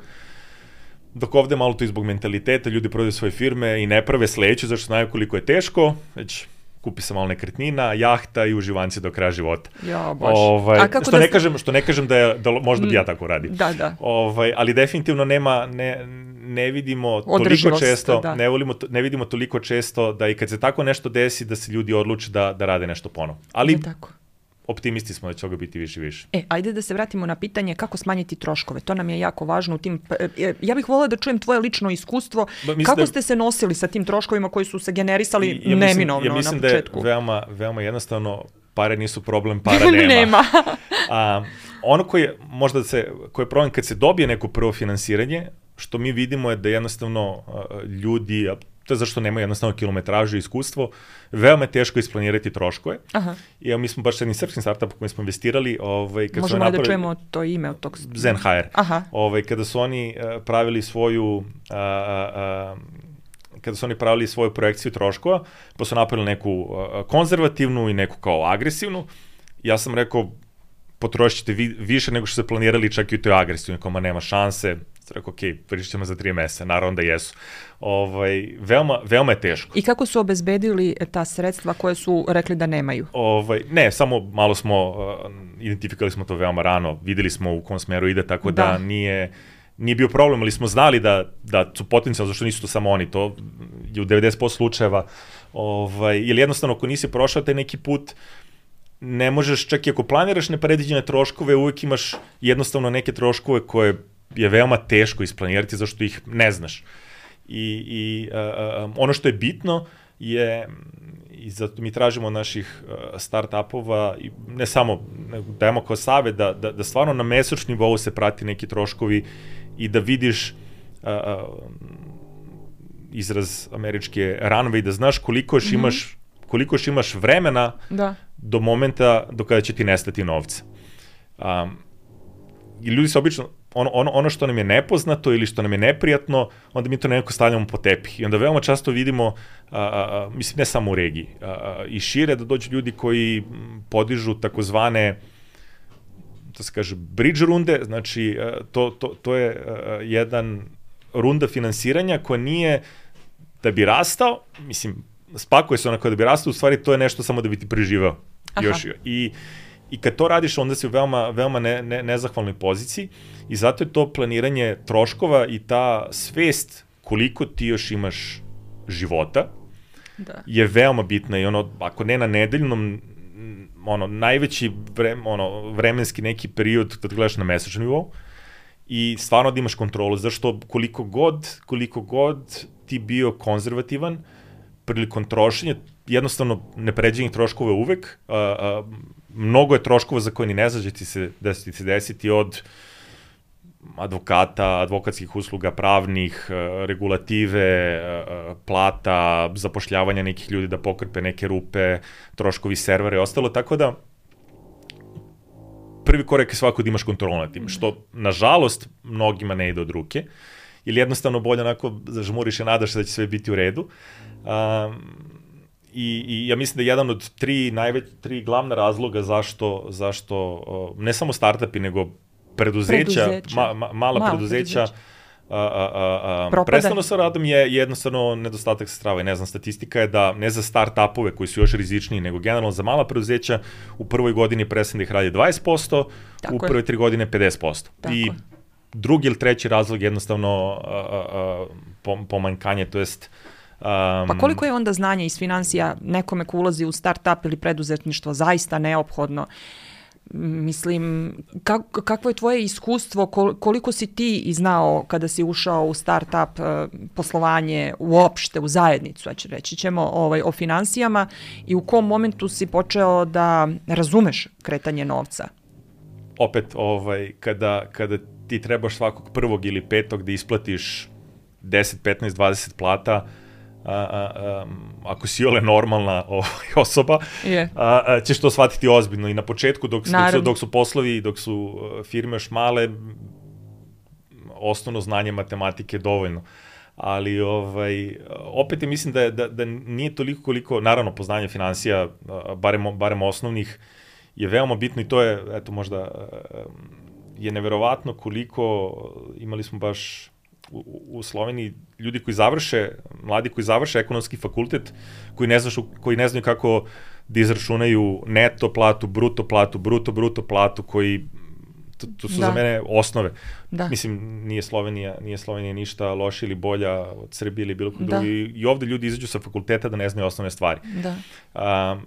dok ovde malo to i zbog mentaliteta, ljudi prodaju svoje firme i ne prave sledeću, zašto znaju koliko je teško, već kupi se malo nekretnina, jahta i uživanci do kraja života. Ja, baš. Što ne kažem da možda bi ja tako radio. Da. Ali definitivno ne vidimo toliko često, ne vidimo toliko često da i kad se tako nešto desi, da se ljudi odluče da rade nešto ponovo. Ali optimisti smo da će ovoga biti više i više. Ajde da se vratimo na pitanje kako smanjiti troškove. To nam je jako važno u tim... Ja bih voljela da čujem tvoje lično iskustvo. Kako ste se nosili sa tim troškovima koji su se generisali neminovno na početku? Ja mislim da je veoma jednostavno, pare nisu problem, para nema. Ono koji je problem kad se dobije neko prvo finansiranje, što mi vidimo je da jednostavno ljudi, to je zašto nema jednostavno kilometražu i iskustvo, veoma je teško isplanirati troškove. I mi smo baš s jednim srpskim startupom koji smo investirali. Možemo da čujemo to ime od tog... Zenhire. Kada su oni pravili svoju projekciju troškova, pa su napravili neku konzervativnu i neku kao agresivnu. Ja sam rekao, potrošit ćete više nego što ste planirali, čak i u toj agresivnoj, koma nema šanse. Rekao, ok, pričat ćemo za 3 meseca, naravno da jesu. Veoma je teško. I kako su obezbedili ta sredstva koje su rekli da nemaju? Ne, samo malo smo, identifikali smo to veoma rano, videli smo u kom smeru ide, tako da nije bio problem, ali smo znali da su potencijalno, zašto nisu to samo oni, to je u 90% slučajeva, jer jednostavno ako nisi prošao taj neki put, ne možeš, čak i ako planiraš nepredviđene troškove, uvek imaš jednostavno neke troškove koje je veoma teško isplanirati zašto ih ne znaš. I ono što je bitno je, i zato mi tražimo od naših start-upova, ne samo, dajemo kao savjet da stvarno na mesečnom nivou se prati neki troškovi i da vidiš izraz američke runway, da znaš koliko još imaš vremena do momenta do kada će ti nestati novca. I ljudi se obično, ono što nam je nepoznato ili što nam je neprijatno, onda mi to nekako stavljamo po tepih. I onda veoma često vidimo, mislim ne samo u regiji, i šire da dođu ljudi koji podižu takozvane, to se kaže, bridge runde, znači to je jedan runda finansiranja koja nije da bi rastao, mislim, spakuje se onako da bi rastao, u stvari to je nešto samo da bi ti preživao. I kad to radiš, onda si u veoma nezahvalnoj poziciji i zato je to planiranje troškova i ta svest koliko ti još imaš života je veoma bitna i ako ne na nedeljnom, najveći vremenski neki period da gledaš na mesečnom nivou i stvarno da imaš kontrolu, zašto koliko god ti bio konzervativan prilikom trošenja, jednostavno nepređenih troškova uvek, mnogo je troškova za koje ni ne znaš da će ti se desiti od advokata, advokatskih usluga, pravnih, regulative, plata, zapošljavanja nekih ljudi da pokrpe neke rupe, troškovi servera i ostalo, tako da prvi korak je svako da imaš kontrolu nad tim, što nažalost mnogima ne ide od ruke, ili jednostavno bolje onako zažmuriš i nadaš se da će sve biti u redu. I ja mislim da je jedan od tri glavna razloga zašto ne samo startupi, nego preduzeća, mala preduzeća prestano sa radom je jednostavno nedostatak sredstava i ne znam, statistika je da ne za start-upove koji su još rizičniji, nego generalno za mala preduzeća u prvoj godini prestane da ih radi 20%, u prve 3 godine 50%. I drugi ili treći razlog je jednostavno pomanjkanje, to jest pa koliko je onda znanje iz financija nekome ko ulazi u start-up ili preduzetništvo zaista neophodno? Mislim, kakvo je tvoje iskustvo, koliko si ti znao kada si ušao u start-up poslovanje uopšte, u zajednicu, reći ćemo o finansijama i u kom momentu si počeo da razumeš kretanje novca? Opet, kada ti trebaš svakog 1. ili 5. da isplatiš 10, 15, 20 plata, ako si ole normalna osoba, ćeš to shvatiti ozbiljno. I na početku, dok su poslovi, dok su firme još male, osnovno znanje matematike je dovoljno. Ali opet mislim da nije toliko koliko, naravno, poznanje finansija, barem osnovnih, je veoma bitno i to je, eto, možda je neverovatno koliko, imali smo baš u Sloveniji ljudi mladi koji završe ekonomski fakultet, koji ne znaju kako da izračunaju neto platu, bruto platu, koji, to su za mene osnove. Mislim, nije Slovenija ništa loša ili bolja od Srbije ili bilo kog drugi. I ovde ljudi izađu sa fakulteta da ne znaju osnovne stvari.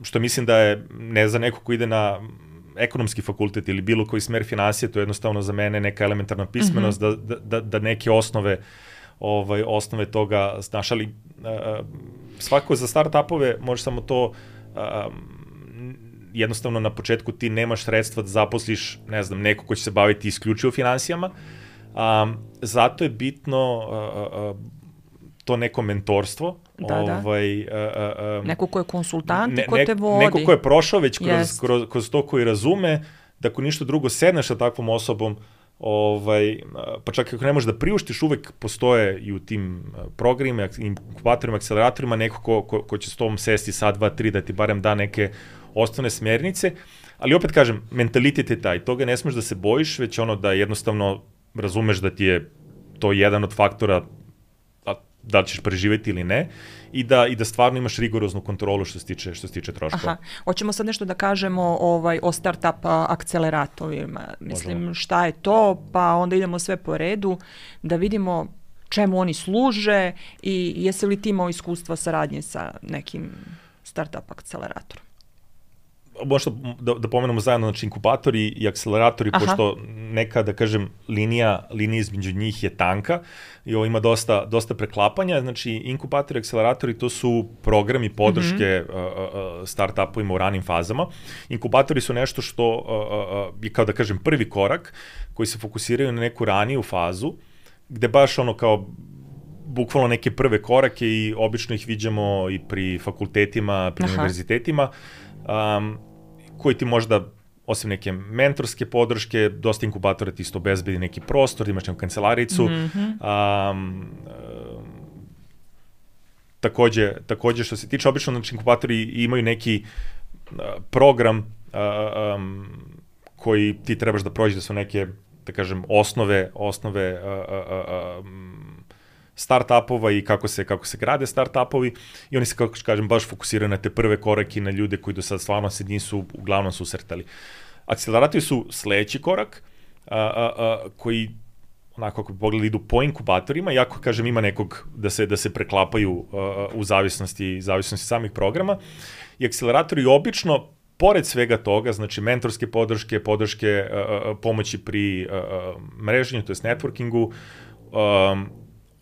Što mislim da je, ne za neko ko ide na ekonomski fakultet ili bilo koji smer finansije, to je jednostavno za mene neka elementarna pismenost da neke osnove toga znaš, ali svako za start-upove može samo to, jednostavno na početku ti nemaš sredstva da zaposliš, ne znam, neko ko će se baviti isključivo finansijama, zato je bitno to neko mentorstvo. Neko ko je konsultant i ko te vodi. Neko ko je prošao već kroz to, koji razume, da ako ništa drugo sedneš sa takvom osobom, pa čak ako ne možeš da priuštiš, uvek postoje i u tim programima, inkubatorima, akceleratorima, neko ko će s tobom sesti sad, 2, 3, da ti barem da neke osnovne smernice, ali opet kažem, mentalitet je taj, toga ne smeš da se bojiš, već da jednostavno razumeš da ti je to jedan od faktora da li ćeš preživeti ili ne, i da stvarno imaš rigoroznu kontrolu što se tiče troškova. Hoćemo sad nešto da kažemo o startup akceleratorima. Mislim, šta je to, pa onda idemo sve po redu, da vidimo čemu oni služe i jesi li ti imao iskustva saradnje sa nekim startup akceleratorom? Možda da pomenemo zajedno, znači inkubatori i akceleratori, pošto neka, da kažem, linija između njih je tanka i ovo ima dosta preklapanja. Znači, inkubatori i akceleratori, to su programi podrške start-upovima u ranim fazama. Inkubatori su nešto što je, kao da kažem, prvi korak koji se fokusiraju na neku raniju fazu, gde baš kao bukvalno neke prve korake i obično ih viđamo i pri fakultetima, pri univerzitetima, koji ti možda, osim neke mentorske podrške, dosta inkubatora ti isto obezbedi neki prostor, imaš neku kancelaricu. Takođe, što se tiče, obično znači, inkubatori imaju neki program koji ti trebaš da prođeš, da su neke, da kažem, osnove start-upova i kako se grade start-upovi, i oni se, kako kažem, baš fokusiraju na te prve korake, na ljude koji do sad stvarno se nisu uglavnom susretali. Akceleratori su sledeći korak, koji, onako kako bi pogledali, idu po inkubatorima, iako, kažem, ima nekog da se preklapaju u zavisnosti samih programa, i akceleratori obično, pored svega toga, znači mentorske podrške, pomoći pri mreženju, to jest networkingu,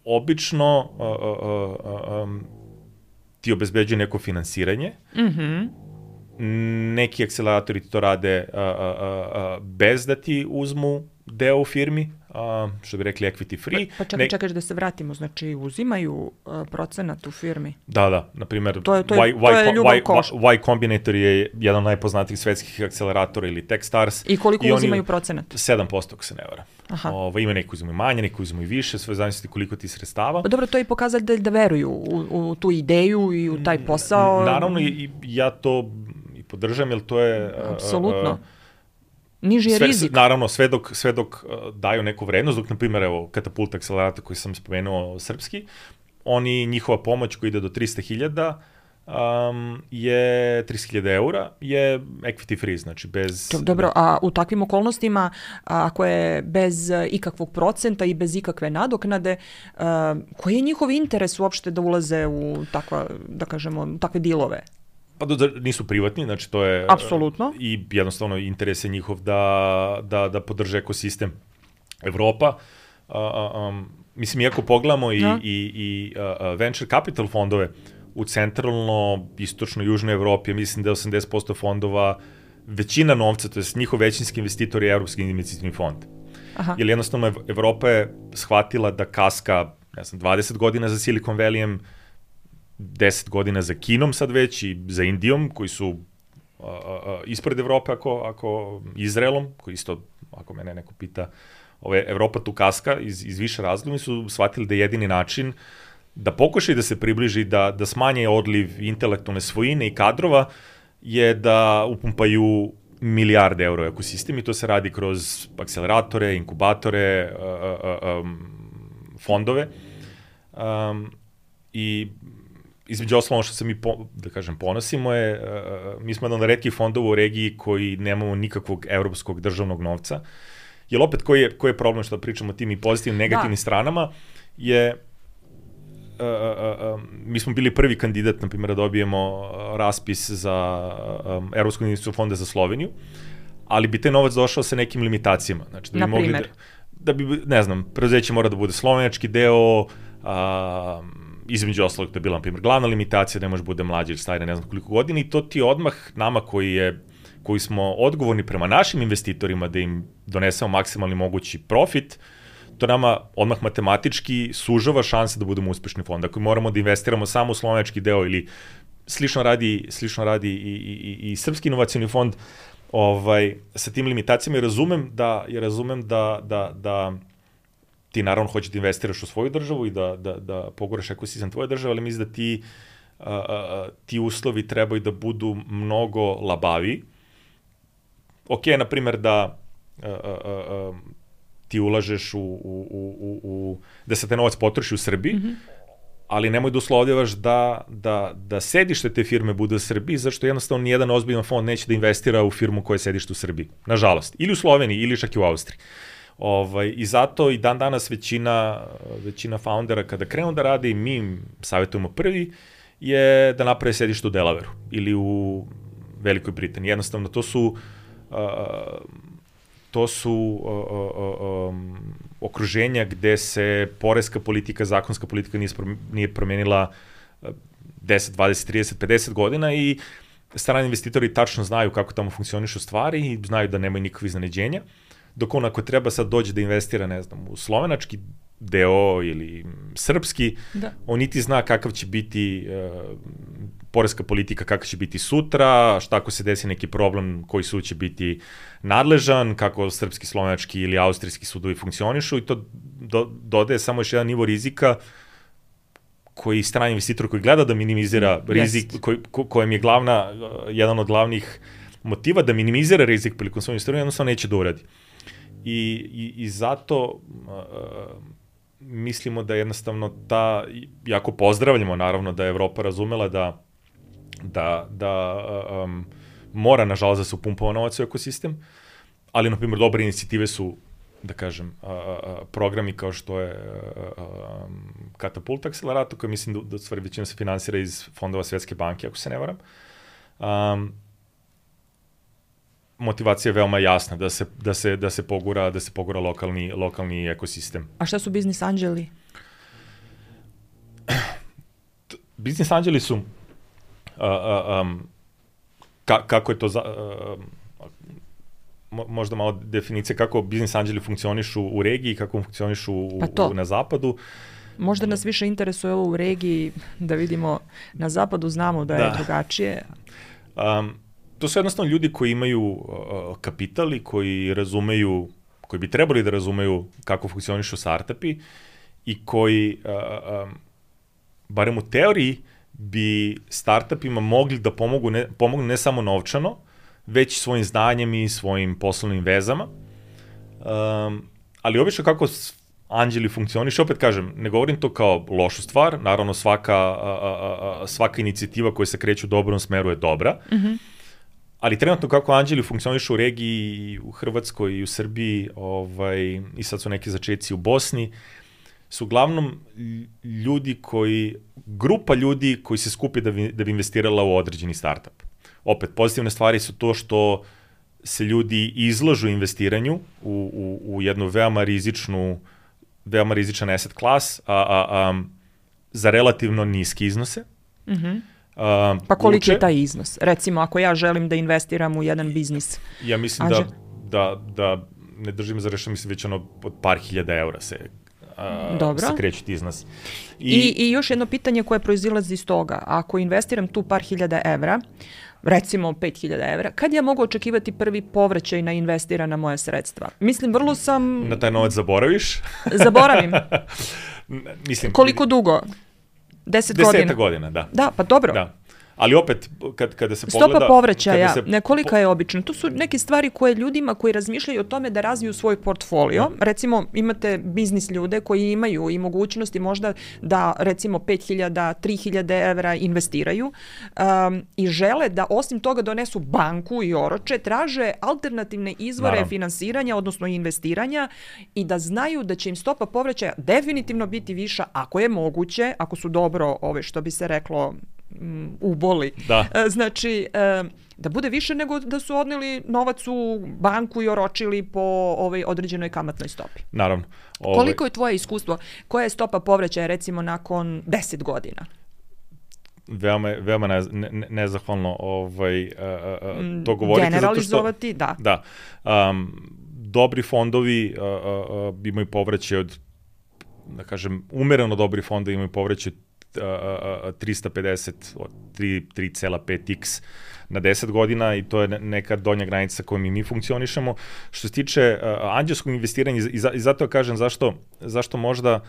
obično ti obezbeđuje neko finansiranje. Neki akceleratori to rade bez da ti uzmu deo u firmi, što bi rekli equity free. Pa čekaš da se vratimo, znači uzimaju procenat u firmi? Da, na primjer, to je ljubav koš. Y Combinator je jedan od najpoznatijih svetskih akceleratora, ili Techstars. I koliko uzimaju procenat? 7%, ako se ne vara. Ima neki uzimaju manje, neki uzimaju više, sve zavisno koliko ti sredstava. Pa dobro, to je i pokazatelj da veruju u tu ideju i u taj posao. Naravno, i ja to i podržam, jer to je... Apsolutno. niži je rizik. Naravno, sve dok daju neku vrednost, dok, na primjer, evo, Katapult akcelerator koji sam spomenuo srpski, njihova pomoć koja ide do 300.000 je 30.000 eura, je equity free, znači bez... Dobro, a u takvim okolnostima, ako je bez ikakvog procenta i bez ikakve nadoknade, koji je njihov interes uopšte da ulaze u takve dilove? Pa nisu privatni, znači to je... Apsolutno. I jednostavno interes je njihov da podrže ekosistem Evropa. Mislim, iako pogledamo i venture capital fondove u centralno, istočno, južnoj Evropi, mislim da je 80% fondova, većina novca, to je njihov većinski investitor je Evropski investicijni fond. Aha. Jer jednostavno Evropa je shvatila da kaska, 20 godina za Silicon Valleyem, 10 godina za Kinom sad već i za Indijom, koji su ispred Evrope, ako Izraelom, koji isto, ako mene neko pita, Evropa tu kaska iz više razloga, su shvatili da je jedini način da pokušaju da se približi, da smanje odliv intelektualne svojine i kadrova, je da upumpaju milijarde eura u ekosistem i to se radi kroz akceleratore, inkubatore, fondove. I između osnovno što se mi, ponosimo je, mi smo jedan od retkih fondova u regiji koji nemamo nikakvog evropskog državnog novca. Jer opet, koji je problem što pričamo o tim i pozitivnim, negativnim stranama, je mi smo bili prvi kandidat, na primjer, da dobijemo raspis za Evropskog investicijskog fonda za Sloveniju, ali bi taj novac došao sa nekim limitacijama. Znači, da bi mogli da bi, ne znam, preduzeće mora da bude slovenački deo, između ostalog to je bila, na primjer, glavna limitacija da ne može bude mlađi ili stari, ne znam koliko godina, i to ti odmah nama koji smo odgovorni prema našim investitorima da im donesemo maksimalni mogući profit, to nama odmah matematički sužava šanse da budemo uspešni fond. Ako moramo da investiramo samo u slovenački deo ili slično radi i Srpski inovacioni fond, sa tim limitacijama, razumem da ti naravno hoćeš da investiraš u svoju državu i da poguraš ekosistem tvoje države, ali mislim da ti uslovi trebaju da budu mnogo labaviji. Ok, na primjer, da ti ulažeš da se te novac potroši u Srbiji, ali nemoj da uslovljavaš da sedište te firme bude u Srbiji, zašto jednostavno nijedan ozbiljan fond neće da investira u firmu koja je sedište u Srbiji. Nažalost. Ili u Sloveniji, ili čak i u Austriji. I zato i dan danas većina foundera kada krenu da rade, i mi im savjetujemo prvi, je da naprave sedište u Delawareu ili u Velikoj Britaniji. Jednostavno, to su okruženja gde se poreska politika, zakonska politika nije promenila 10, 20, 30, 50 godina i strani investitori tačno znaju kako tamo funkcionišu stvari i znaju da nemaju nikakve iznenađenja. Dok on ako treba sad dođe da investira, ne znam, u slovenački deo ili srpski, on niti zna kakav će biti poreska politika, kakav će biti sutra, šta ako se desi neki problem, koji sud će biti nadležan, kako srpski, slovenački ili austrijski sudovi funkcionišu, i to dodaje samo još jedan nivo rizika koji strani investitor koji gleda da minimizira rizik, kojem je jedan od glavnih motiva da minimizira rizik prilikom svojom investiranju, jednostavno neće da uradi. I zato mislimo da jednostavno jako pozdravljamo naravno da je Evropa razumela da mora nažalost da se upumpava novac u ekosistem, ali na primjer dobre inicijative su, da kažem, programi kao što je Katapult akcelerator, koji mislim da stvari većina se finansira iz fondova Svetske banke, ako se ne varam. Motivacija je veoma jasna da se pogura lokalni ekosistem. A šta su biznis anđeli? Biznis anđeli su kako je to možda malo definicija kako biznis anđeli funkcionišu u regiji, kako funkcionišu na zapadu. Možda nas više interesuje ovo u regiji, da vidimo na zapadu, znamo da je drugačije. To su jednostavno ljudi koji imaju kapital i koji bi trebali da razumeju kako funkcionišu startupi i koji, barem u teoriji, bi startupima mogli da pomognu ne samo novčano, već svojim znanjem i svojim poslovnim vezama. Ali obično kako anđeli funkcioniše, opet kažem, ne govorim to kao lošu stvar, naravno svaka inicijativa koja se kreće u dobrom smeru je dobra, ali trenutno kako anđeli funkcionišu u regiji, u Hrvatskoj i u Srbiji, i sad su neki začeci u Bosni, su uglavnom grupa ljudi koji se skupi da bi investirala u određeni startup. Opet, pozitivne stvari su to što se ljudi izlažu investiranju u jednu veoma rizičan asset class za relativno niske iznose. Pa koliki je taj iznos? Recimo, ako ja želim da investiram u jedan biznis. Ja mislim da ne držim za rešenje, mislim već od par hiljada eura se kreću ti iznosi. I još jedno pitanje koje proizilazi iz toga. Ako investiram tu par hiljada evra, recimo 5.000 evra, kad ja mogu očekivati prvi povraćaj na investirana moja sredstva? Mislim, vrlo sam... Na taj novac zaboraviš? Zaboravim. Mislim, koliko dugo? 10 godina? 10 godina, da. Da, pa dobro. Da. Ali opet, kada se pogleda... Stopa povraćaja, kolika je obično? To su neke stvari koje ljudima koji razmišljaju o tome da razviju svoj portfolio. Recimo, imate biznis ljude koji imaju i mogućnosti možda da, recimo, 5.000, 3.000 evra investiraju i žele da osim toga donesu banku i oroče, traže alternativne izvore finansiranja, odnosno investiranja, i da znaju da će im stopa povraćaja definitivno biti viša, ako je moguće, ako su dobro, što bi se reklo, uboli. Znači, da bude više nego da su odneli novac u banku i oročili po određenoj kamatnoj stopi. Naravno. Koliko je tvoje iskustvo? Koja je stopa povraćaja, recimo, nakon 10 godina? Veoma nezahvalno to govoriti. Generalizovati, zato što, da. Dobri fondovi imaju povraćaj od, da kažem, umereno dobri fondovi imaju povraćaj 350 od 3,5x na 10 godina i to je neka donja granica kojom mi funkcionišemo. Što se tiče anđelskog investiranja, i zato kažem zašto možda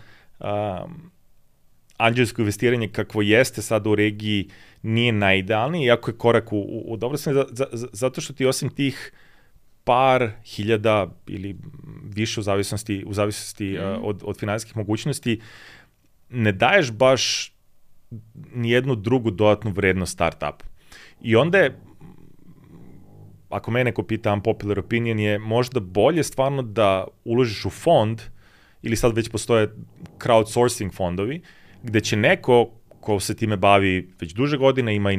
anđelsko investiranje kakvo jeste sada u regiji nije najidealnije, iako je korak u dobro smjeru, zato što ti osim tih par hiljada ili više u zavisnosti od finansijskih mogućnosti, ne daješ baš nijednu drugu dodatnu vrednost startupu. I onda je, ako me neko pita, unpopular opinion je možda bolje stvarno da uložiš u fond, ili sad već postoje crowdsourcing fondovi, gde će neko ko se time bavi već duže godine, ima i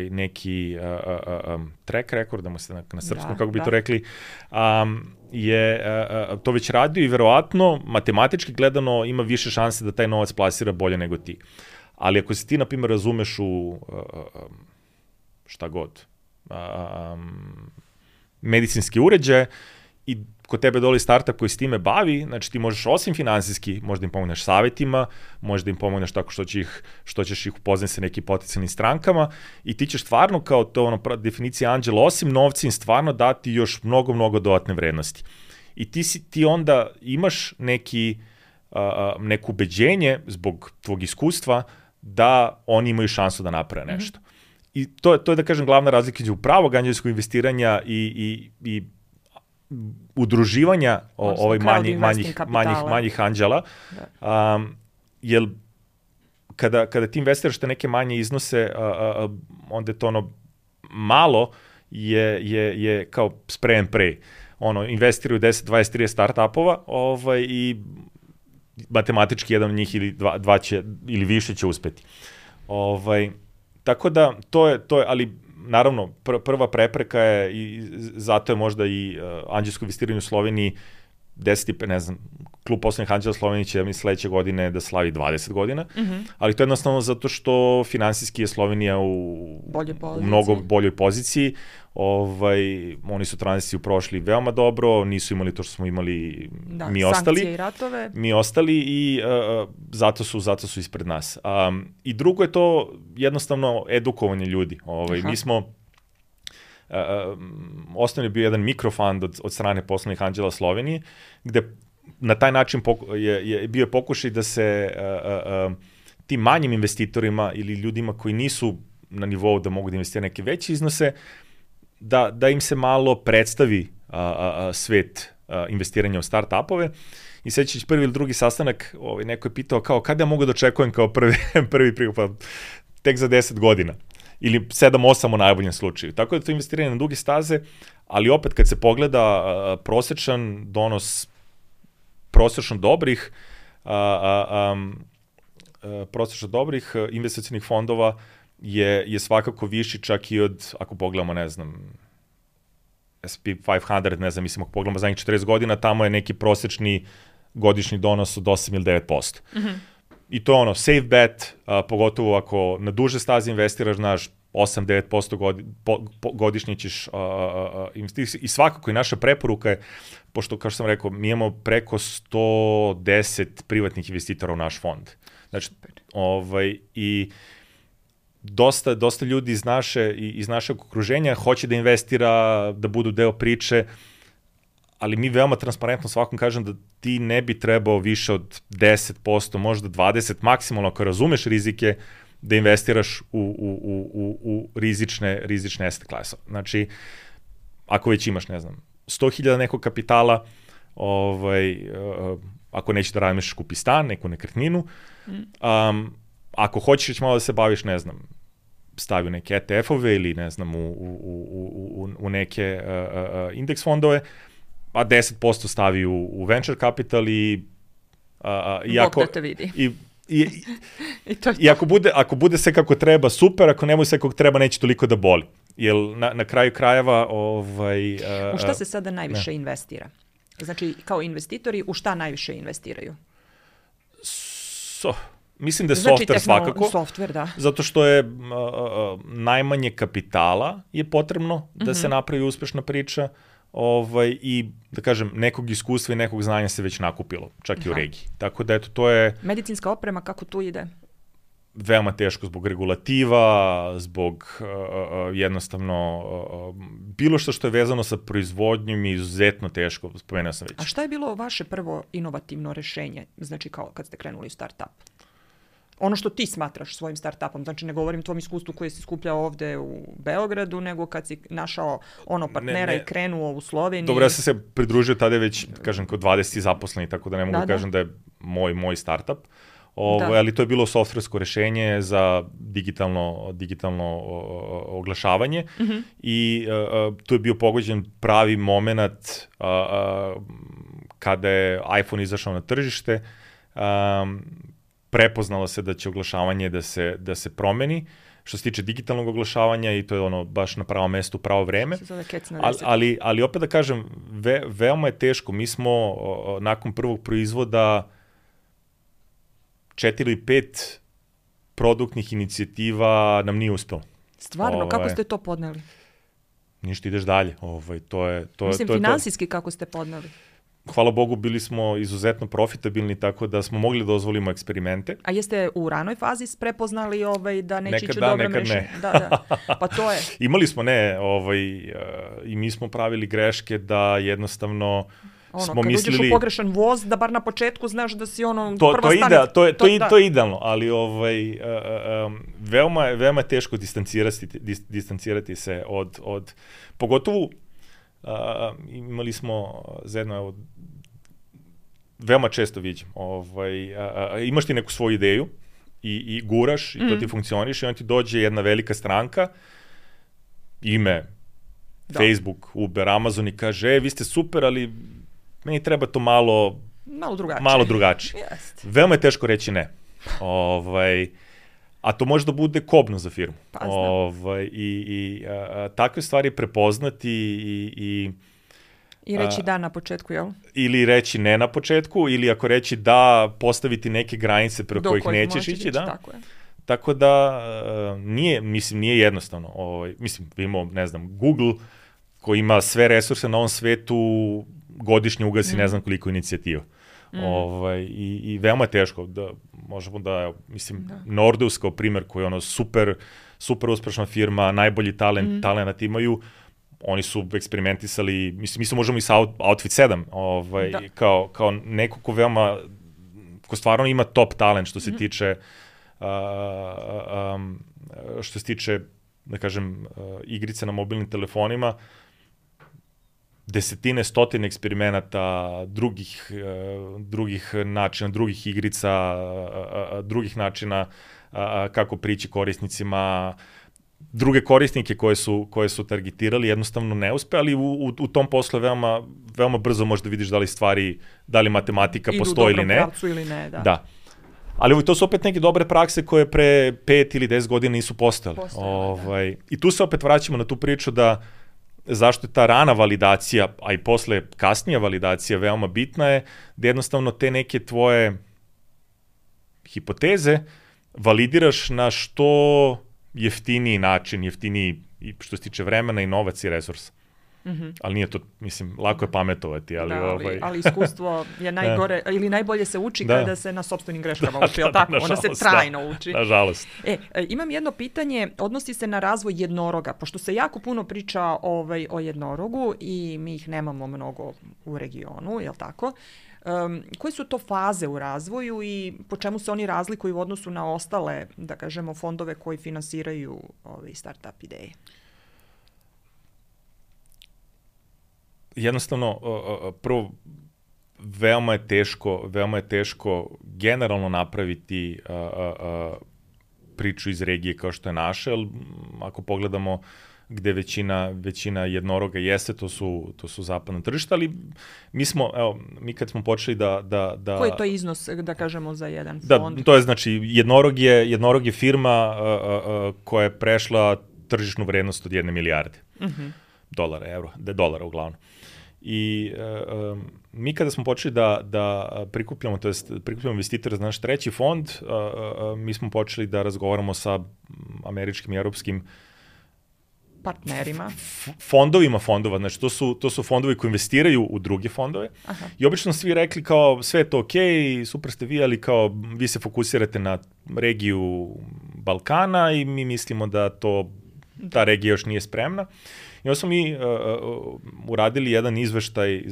neki track record, da mu se na srpskom, kako bi to rekli, je to već radio i verovatno, matematički gledano, ima više šanse da taj novac plasira bolje nego ti. Ali ako se ti, na primjer, razumeš u šta god, medicinski uređaje i kod tebe doli startup koji s time bavi, znači ti možeš osim finansijski, možda im pomogneš savjetima, možda im pomogneš tako što ćeš ih upoznati sa nekim potencijalnim strankama i ti ćeš stvarno, kao to definicija anđela, osim novca im stvarno dati još mnogo, mnogo dodatne vrednosti. I ti onda imaš neko ubeđenje zbog tvog iskustva da oni imaju šansu da naprave nešto. I to je, da kažem, glavna razlika između pravog anđelskog investiranja i udruživanja manjih anđela, jer kada ti investiraš te neke manje iznose, onda je to malo je kao spray and pray. Investiraju 10, 20, 30 startupova i matematički jedan od njih ili dva će, ili više će uspeti. Tako da, to je, ali naravno, prva prepreka je, i zato je možda i anđelsko investiranje u Sloveniji 10, ne znam, klub poslovnih anđela Slovenije će sledeće godine da slavi 20 godina, ali to je jednostavno zato što finansijski je Slovenija u mnogo boljoj poziciji. Oni su tranziciju prošli veoma dobro, nisu imali to što smo imali mi ostali. Sankcije i ratove. Mi ostali i zato su ispred nas. I drugo je to jednostavno edukovanje ljudi. Mi smo osnovno je bio jedan mikrofund od strane poslovnih anđela Slovenije, gde na taj način je bio pokušaj da se tim manjim investitorima ili ljudima koji nisu na nivou da mogu da investiraju neke veće iznose, da im se malo predstavi svet investiranja u start-upove. I sećajući prvi ili drugi sastanak, neko je pitao kao kada ja mogu da očekujem kao prvi prihod, tek za 10 godina. Ili 7-8 u najboljem slučaju. Tako da to investiranje na duge staze, ali opet kad se pogleda prosečan donos prosečno dobrih investicionih fondova je svakako viši čak i od, ako pogledamo, ne znam, S&P 500, ne znam, mislim, ako pogledamo zadnjih 40 godina, tamo je neki prosečni godišnji donos od 8 ili 9%. Mm-hmm. I to je ono, safe bet, pogotovo ako na duže staze investiraš, znaš, 8-9% godišnje ćeš investirati. I svakako i naša preporuka je, pošto, kao što sam rekao, mi imamo preko 110 privatnih investitora u naš fond. Znači, i dosta ljudi iz našeg okruženja hoće da investira, da budu deo priče, ali mi veoma transparentno svakom kažem da ti ne bi trebao više od 10%, možda 20%, maksimalno ako razumeš rizike, da investiraš u rizične asset klase. Znači, ako već imaš, ne znam, 100.000 nekog kapitala, ako nećeš da radiš, kupi stan, neku nekretninu, ako hoćeš već malo da se baviš, ne znam, stavi u neke ETF-ove ili, ne znam, u neke indeks fondove, a 10% stavi u venture capital i Bog da te vidi. I ako bude sve kako treba, super, ako ne bude sve kako treba, neće toliko da boli. Jer na kraju krajeva... u šta se sada najviše investira? Znači, kao investitori, u šta najviše investiraju? Mislim da je software svakako. Software, da. Zato što je najmanje kapitala je potrebno da se napravi uspešna priča. I, da kažem, nekog iskustva i nekog znanja se već nakupilo, čak i u regiji. Tako da, eto, to je... Medicinska oprema, kako tu ide? Veoma teško zbog regulativa, zbog jednostavno bilo što je vezano sa proizvodnjom je izuzetno teško, spomenuo sam već. A šta je bilo vaše prvo inovativno rešenje, znači kao kad ste krenuli u start-up? Ono što ti smatraš svojim start-upom, znači ne govorim tvom iskustvu koje si skupljao ovde u Beogradu, nego kad si našao partnera i krenuo u Sloveniji. Dobro, ja sam se pridružio tada već, kažem, kod 20 zaposlenih, tako da ne mogu kažem da je moj startup. Ali to je bilo softversko rešenje za digitalno oglašavanje i tu je bio pogođen pravi moment kada je iPhone izašao na tržište. Prepoznalo se da će oglašavanje da se promeni, što se tiče digitalnog oglašavanja i to je ono baš na pravo mesto u pravo vreme. Ali opet da kažem, veoma je teško. Mi smo nakon prvog proizvoda 4 ili 5 produktnih inicijativa nam nije uspelo. Stvarno, kako ste to podneli? Ništa, ideš dalje. Mislim, finansijski kako ste podneli? Hvala Bogu, bili smo izuzetno profitabilni, tako da smo mogli da dozvolimo eksperimente. A jeste u ranoj fazi prepoznali da neće ići dobro rešenje? Da. Pa to je. Imali smo, i mi smo pravili greške da jednostavno smo mislili... Kad uđeš u pogrešan voz, da bar na početku znaš da si prva stanica. To je idealno, ali veoma je teško distancirati se od pogotovo imali smo zajedno, veoma često viđem, imaš ti neku svoju ideju i guraš i to ti funkcioniš i onda ti dođe jedna velika stranka, ime, Facebook, Uber, Amazon i kaže, vi ste super, ali meni treba to malo drugačije. Veoma je teško reći ne. A to može da bude kobno za firmu. Takve stvari prepoznati i reći da na početku, jel? Ili reći ne na početku, ili ako reći da, postaviti neke granice pre kojih nećeš ići, da. Tako da nije jednostavno. Imamo, ne znam, Google koji ima sve resurse na ovom svetu, godišnje ugasi ne znam koliko inicijativa. I veoma je teško da možemo da, mislim, Nordeus kao primer koji je super uspešna firma, najbolji talent imaju, oni su eksperimentisali, mislim, mi se možemo i sa Outfit 7, kao neko ko stvarno ima top talent što se tiče da kažem, igrice na mobilnim telefonima, desetine, stotine eksperimenata, drugih načina, drugih igrica, drugih načina kako prići korisnicima, druge korisnike koje su targetirali, jednostavno ne uspe, ali u tom poslu veoma brzo možeš da vidiš da li matematika postoji ili ne. Idu u dobrom pravcu ili ne, da. Da. Ali to su opet neke dobre prakse koje pre 5 ili 10 godina nisu postojale. I tu se opet vraćamo na tu priču da zašto je ta rana validacija, a i posle kasnija validacija veoma bitna je, da jednostavno te neke tvoje hipoteze validiraš na što jeftiniji način, jeftiniji i što se tiče vremena i novac i resursa. Ali nije to, mislim, lako je pametovati, ali iskustvo je najgore, ili najbolje se uči kada se na sopstvenim greškama uči, jel tako? Onda se trajno uči. Nažalost. Imam jedno pitanje, odnosi se na razvoj jednoroga, pošto se jako puno priča o jednorogu i mi ih nemamo mnogo u regionu, jel tako? Koje su to faze u razvoju i po čemu se oni razlikuju u odnosu na ostale, da kažemo, fondove koji finansiraju start-up ideje? Jednostavno, prvo, veoma je teško generalno napraviti priču iz regije kao što je naša, jer ako pogledamo gde većina jednoroga jeste, to su zapadna tržišta, ali mi kad smo počeli da... Koji je to iznos, da kažemo, za jedan fond? Da, to je znači, jednorog je firma koja je prešla tržišnu vrednost od 1 milijarde dolara uglavnom. I mi kada smo počeli da prikupljamo investitore za naš treći fond, mi smo počeli da razgovaramo sa američkim i europskim partnerima. Fondovima fondova, znači to su fondovi koji investiraju u druge fondove. Aha. I obično svi rekli kao sve je to okej, super ste vi, ali kao vi se fokusirate na regiju Balkana i mi mislimo da ta regija još nije spremna. I onda smo mi uradili jedan izveštaj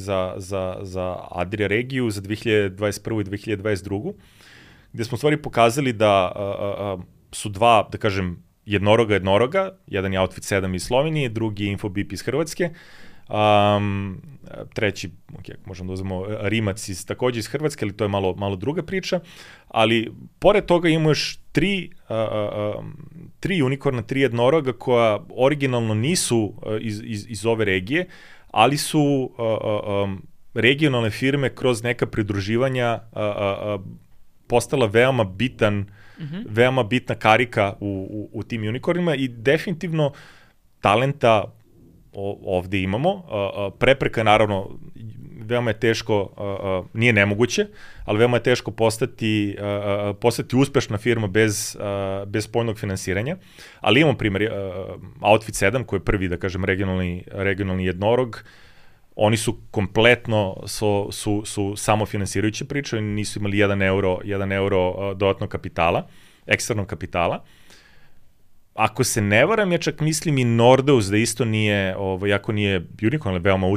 za Adria regiju za 2021. i 2022. gde smo u stvari pokazali da su dva, da kažem, jednoroga, jedan je Outfit 7 iz Slovenije, drugi je Infobip iz Hrvatske, treći, možemo da uzmemo Rimac takođe iz Hrvatske, ali to je malo druga priča, ali pored toga imamo još tri unikorna, 3 jednoroga koja originalno nisu iz ove regije, ali su regionalne firme kroz neka pridruživanja postala veoma bitna karika u tim unikornima i definitivno talenta ovde imamo. Prepreka, naravno, veoma je teško, nije nemoguće, ali veoma je teško postati uspešna firma bez spoljnog finansiranja. Ali imamo primjer Outfit 7, koji je prvi, da kažem, regionalni jednorog. Oni su kompletno su samofinansirajuće priče, nisu imali 1 euro dodatnog kapitala, eksternog kapitala. Ako se ne varam, ja čak mislim i Nordeus da isto nije, jako nije unicorn, ali veoma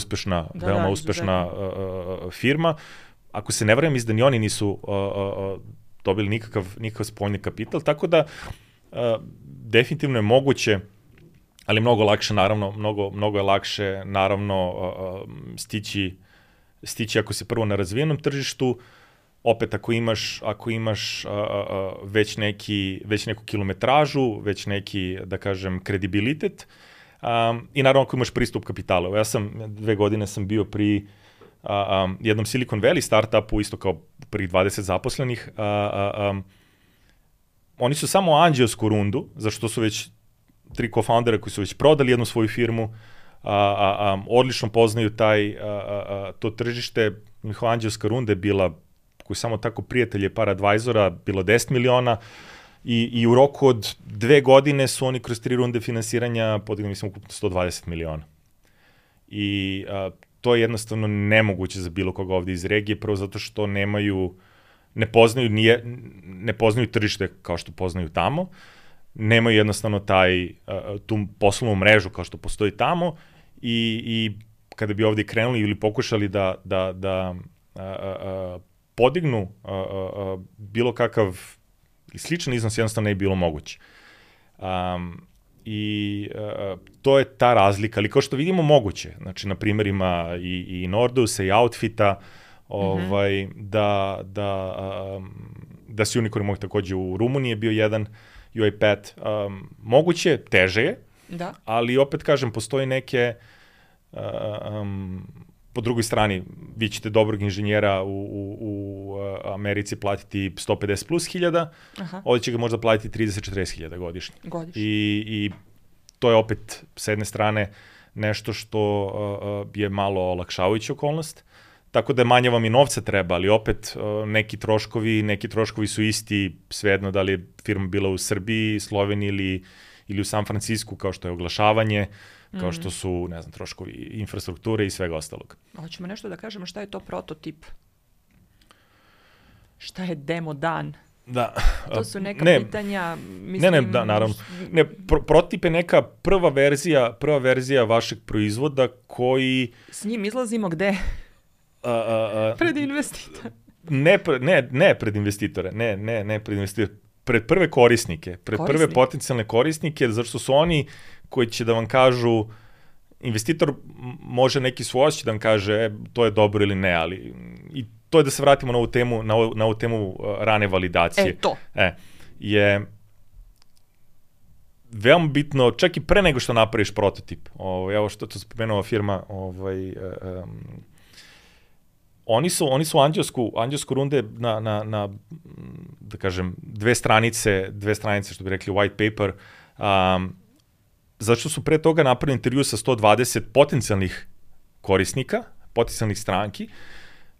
uspešna firma. Ako se ne varam, mislim da ni oni nisu dobili nikakav spoljni kapital, tako da definitivno je moguće, ali mnogo je lakše naravno stići ako se prvo na razvijenom tržištu, opet ako imaš već neku kilometražu, već neki, da kažem, kredibilitet i naravno ako imaš pristup kapitalu. Ja sam 2 godine bio pri jednom Silicon Valley startupu, isto kao pri 20 zaposlenih. Oni su samo anđelsku rundu, zašto su već 3 co-foundera koji su već prodali jednu svoju firmu, odlično poznaju to tržište. Njihova anđelska runda je bila, koji samo tako prijatelje par advisora, bilo 10 miliona i u roku od 2 godine su oni kroz 3 runde finansiranja podigli, mislim, ukupno 120 miliona. I to je jednostavno nemoguće za bilo koga ovde iz regije, prvo zato što ne poznaju tržište kao što poznaju tamo, nemaju jednostavno tu poslovnu mrežu kao što postoji tamo i kada bi ovde krenuli ili pokušali da podignu bilo kakav sličan iznos, jednostavno ne bi bilo moguće. I to je ta razlika, ali kao što vidimo moguće, znači na primjerima i Nordusa i Outfita, da si Unicorn mogu takođe u Rumuniji je bio jedan UiPath. Moguće, teže je, ali opet kažem, postoji neke, po drugoj strani, vi ćete dobrog inženjera u Americi platiti 150 plus hiljada, ovdje će ga možda platiti 30-40 hiljada godišnje. I to je opet, s jedne strane, nešto što je malo olakšavajuća okolnost, tako da manje vam i novca treba, ali opet neki troškovi su isti, svejedno da li je firma bila u Srbiji, Sloveniji ili u San Francisku, kao što je oglašavanje, kao što su, ne znam, troškovi infrastrukture i svega ostalog. Hoćemo nešto da kažemo šta je to prototip? Šta je demo dan? Da. To su neka pitanja, mislim... naravno. Prototip je neka prva verzija vašeg proizvoda koji... S njim izlazimo gde? Pred investitore. Ne pred investitore, ne pred investitore, pred prve korisnike, prve potencijalne korisnike, zašto su oni koji će da vam kažu, investitor može neki svoj osjećaj da vam kaže to je dobro ili ne, ali i to je da se vratimo na ovu temu rane validacije. Je veoma bitno, čak i pre nego što napraviš prototip. Evo što to spomenula firma, Oni su anđelsku runde na da kažem, dve stranice, što bi rekli white paper, zato što su pre toga napravili intervju sa 120 potencijalnih korisnika, potencijalnih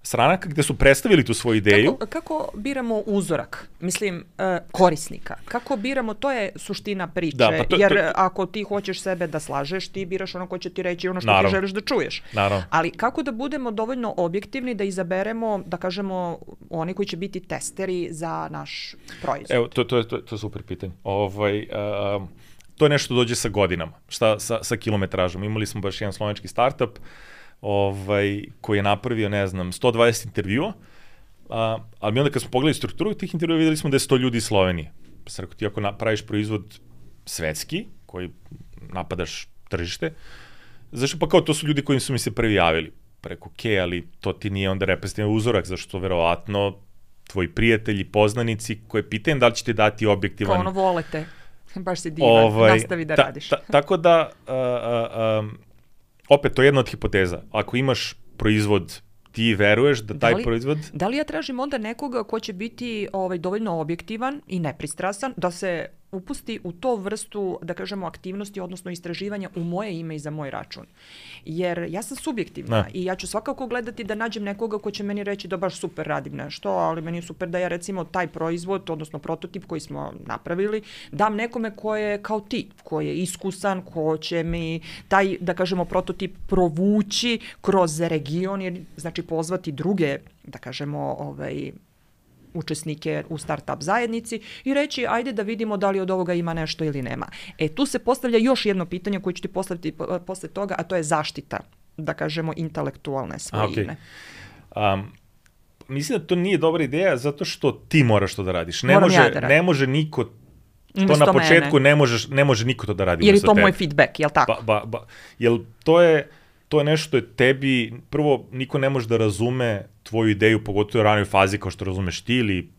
stranaka, gde su predstavili tu svoju ideju. Kako biramo uzorak? Mislim, korisnika. Kako biramo, to je suština priče. Jer ako ti hoćeš sebe da slažeš, ti biraš ono ko će ti reći ono što ti želiš da čuješ. Ali kako da budemo dovoljno objektivni da izaberemo, da kažemo, oni koji će biti testeri za naš proizvod? Evo, to je super pitanje. To je nešto dođe sa godinama, sa kilometražom. Imali smo baš jedan slovenski startup, koji je napravio, ne znam, 120 intervjua, ali mi onda kad smo pogledali strukturu tih intervjua, videli smo da je 100 ljudi iz Slovenije. Pa sam rekao, ti ako praviš proizvod svetski, koji napadaš tržište, zašto pa kao to su ljudi koji su mi se prvi javili? Pa rekao, okej, ali to ti nije onda reprezentativan uzorak, zašto verovatno tvoji prijatelji, poznanici, koje pitaju da li će ti dati objektivan... Kao ono volete, baš si divan, nastavi da radiš. Tako da... Opet, to je jedna od hipoteza. Ako imaš proizvod, ti veruješ da taj proizvod... Da li ja tražim onda nekoga ko će biti dovoljno objektivan i nepristrasan, da se upusti u to vrstu, da kažemo, aktivnosti, odnosno istraživanja u moje ime i za moj račun. Jer ja sam subjektivna i ja ću svakako gledati da nađem nekoga ko će meni reći da baš super radim nešto, ali meni je super da ja recimo taj proizvod, odnosno prototip koji smo napravili, dam nekome ko je kao ti, ko je iskusan, ko će mi taj, da kažemo, prototip provući kroz region, jer znači pozvati druge, da kažemo, učesnike u startup zajednici i reći ajde da vidimo da li od ovoga ima nešto ili nema. Tu se postavlja još jedno pitanje koje ću ti postaviti posle toga, a to je zaštita, da kažemo, intelektualne svojine. Mislim da to nije dobra ideja zato što ti moraš to da radiš. Ne može niko to na početku, ne može niko to da radi. Jer je to moj feedback, jel tako? Jel to je nešto je tebi, prvo, niko ne može da razume tvoju ideju, pogotovo u ranoj fazi kao što razumeš ti ili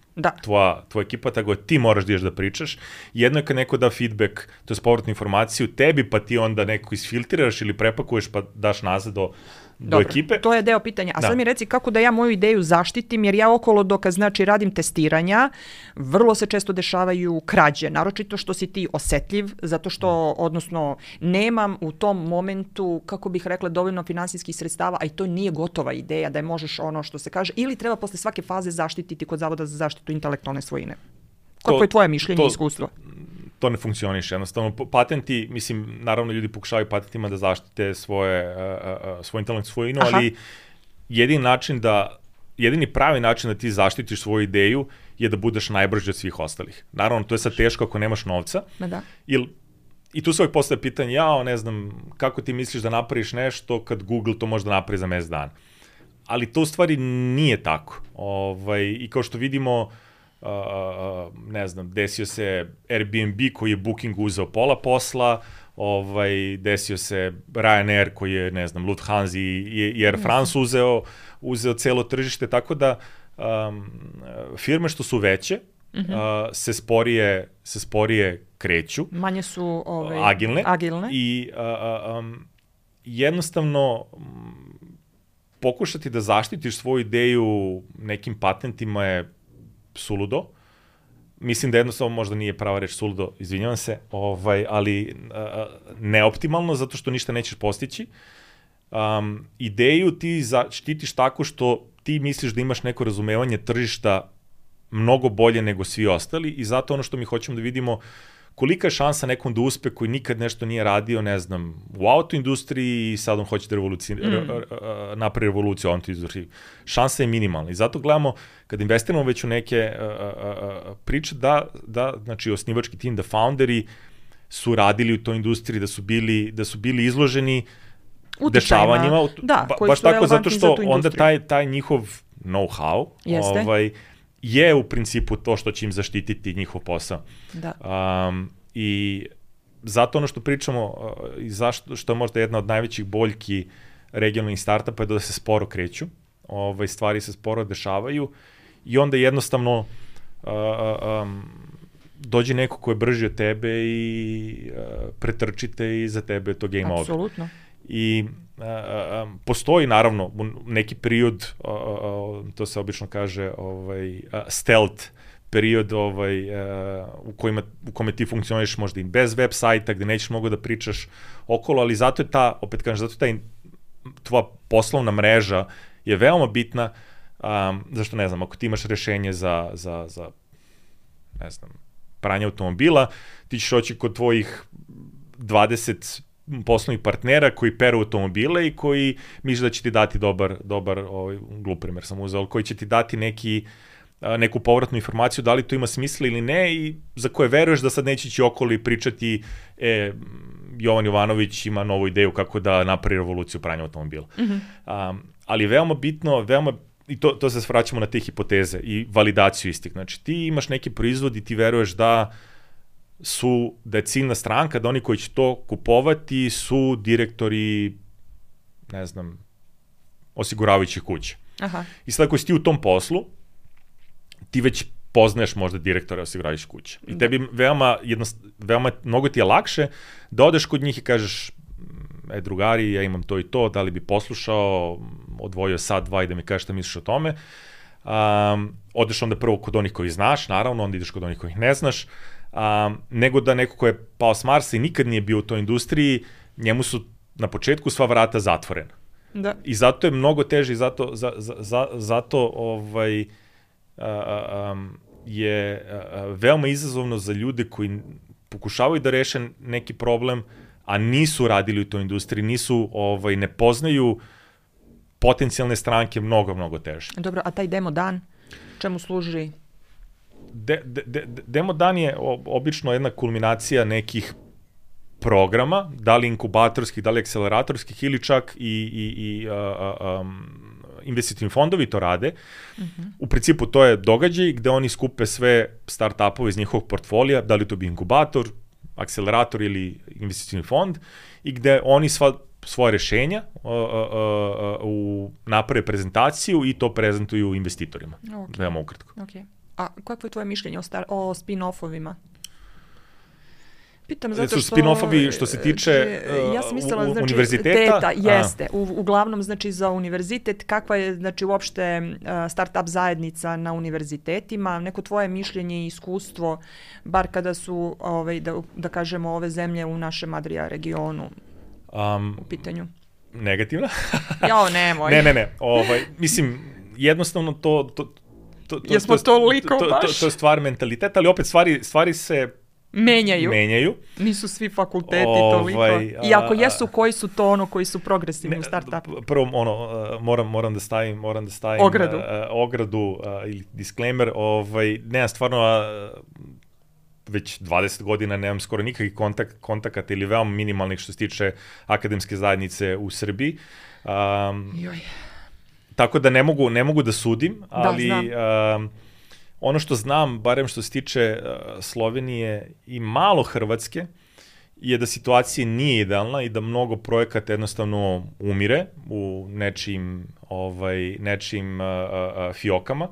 tvoja ekipa, tako da ti moraš da ideš da pričaš. Jedno je kad neko da feedback, to je povratnu informaciju tebi, pa ti onda neko isfiltriraš ili prepakuješ pa daš nazad do ekipe. To je deo pitanja. A sad mi reci kako da ja moju ideju zaštitim, jer ja okolo dok radim testiranja, vrlo se često dešavaju krađe, naročito što si ti osetljiv, zato što, odnosno, nemam u tom momentu, kako bih rekla, dovoljno finansijskih sredstava, a i to nije gotova ideja da je možeš ono što se kaže, ili treba posle svake faze zaštititi kod Zavoda za zaštitu intelektualne svojine. Kako je tvoje mišljenje i iskustvo? To ne funkcioniše. Jednostavno, patenti, mislim, naravno ljudi pokušavaju patentima da zaštite svoju intelektualnu svojinu, ali jedini pravi način da ti zaštitiš svoju ideju je da budeš najbrži od svih ostalih. Naravno, to je sad teško ako nemaš novca. I tu se uvijek postaje pitanje, ne znam, kako ti misliš da napraviš nešto kad Google to može da napravi za mesec dana. Ali to u stvari nije tako. I kao što vidimo, ne znam, desio se Airbnb koji je Bookingu uzeo pola posla, desio se Ryanair koji je, ne znam, Lufthansa i Air France uzeo celo tržište, tako da firme što su veće se sporije kreću. Manje su agilne. I jednostavno pokušati da zaštitiš svoju ideju nekim patentima je suludo. Mislim da jednostavno možda nije prava reč suludo, izvinjavam se, ali neoptimalno, zato što ništa nećeš postići. Ideju ti štitiš tako što ti misliš da imaš neko razumevanje tržišta mnogo bolje nego svi ostali i zato ono što mi hoćemo da vidimo kolika je šansa nekom da uspe koji nikad nešto nije radio, ne znam, u autoindustriji i sad on hoće da napravi revoluciju u autoindustriji. Šansa je minimalna i zato gledamo, kad investiramo već u neke priče, da znači osnivački tim, da founderi su radili u toj industriji, da su bili izloženi dešavanjima. Baš tako, zato što onda taj njihov know-how je u principu to što će im zaštititi njihov posao. Da. I zato ono što pričamo, i što je možda jedna od najvećih boljki regionalnih startupa je da se sporo kreću, stvari se sporo dešavaju i onda jednostavno dođe neko ko je brži od tebe i pretrčite i za tebe to game over. Apsolutno. I postoji naravno neki period, to se obično kaže stealth period u kome ti funkcioniš možda i bez web sajta, gde nećeš mnogo da pričaš okolo, ali zato je tvoja poslovna mreža je veoma bitna, zašto ne znam, ako ti imaš rešenje za ne znam, pranje automobila, ti ćeš oći kod tvojih 20 poslovnih partnera koji peru automobile i koji misle da će ti dati dobar glup primer sam uzeo, koji će ti dati neku povratnu informaciju da li to ima smisla ili ne i za koje veruješ da sad neće ići okolo i pričati Jovan Jovanović ima novu ideju kako da napravi revoluciju pranja automobila. Ali veoma bitno, i to se vraćamo na te hipoteze i validaciju istih. Znači ti imaš neki proizvod i ti veruješ da je ciljna stranka, da oni koji će to kupovati su direktori, ne znam, osiguravajućih kuća. Aha. I sad ako si ti u tom poslu, ti već poznaješ možda direktore osiguravajućih kuća. I tebi veoma mnogo ti je lakše da odeš kod njih i kažeš drugari, ja imam to i to, da li bi poslušao, odvojio sat, dva i da mi kažeš šta misliš o tome. Odeš onda prvo kod onih koji znaš, naravno, onda ideš kod onih kojih ne znaš, nego da neko ko je pao s Marsa i nikad nije bio u toj industriji, njemu su na početku sva vrata zatvorena. Da. I zato je mnogo teže i zato je veoma izazovno za ljude koji pokušavaju da reše neki problem, a nisu radili u toj industriji, ne poznaju potencijalne stranke, mnogo teže. Dobro, a taj demo dan čemu služi? Demo dan je obično jedna kulminacija nekih programa, da li inkubatorskih, da li akceleratorskih ili čak i investitivni fondovi to rade. U principu to je događaj gde oni skupe sve start-upove iz njihovog portfolija, da li to bi inkubator, akcelerator ili investitivni fond, i gde oni svoje rešenja naprave prezentaciju i to prezentuju investitorima. Veoma ukratko. Okay. A kako je tvoje mišljenje o spin-offovima? Pitam zato što... Spin-offovi što se tiče ja sam mislila, znači, univerziteta? Jeste. Uglavnom, znači, za univerzitet, kakva je, znači, uopšte start-up zajednica na univerzitetima? Neko tvoje mišljenje i iskustvo, bar kada su, da kažemo, ove zemlje u našem Adria regionu u pitanju? Negativno. Jao, nemoj. Ne. Mislim, jednostavno to jesmo toliko baš? To je stvar mentaliteta, ali opet stvari se menjaju. Nisu svi fakulteti toliko. I ako jesu, koji su to koji su progresivni u startupu? Prvo, moram da stavim ogradu ili disclaimer. Nemam stvarno već 20 godina nemam skoro nikakvih kontakata ili veoma minimalnih što se tiče akademske zajednice u Srbiji. Tako da ne mogu da sudim, ali ono što znam, barem što se tiče Slovenije i malo Hrvatske, je da situacija nije idealna i da mnogo projekata jednostavno umire u nečim fiokama.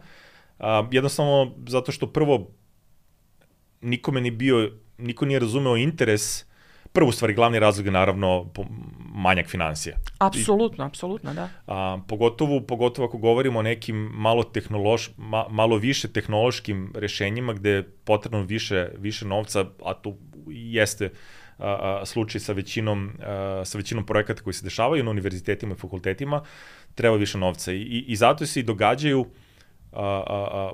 Jednostavno zato što prvo niko nije razumeo interes. Prvu stvari, glavni razlog je naravno manjak finansija. Apsolutno, da. Pogotovo ako govorimo o nekim malo više tehnološkim rešenjima gde je potrebno više novca, a to jeste slučaj sa većinom projekata koji se dešavaju na univerzitetima i fakultetima, treba više novca. I zato se i događaju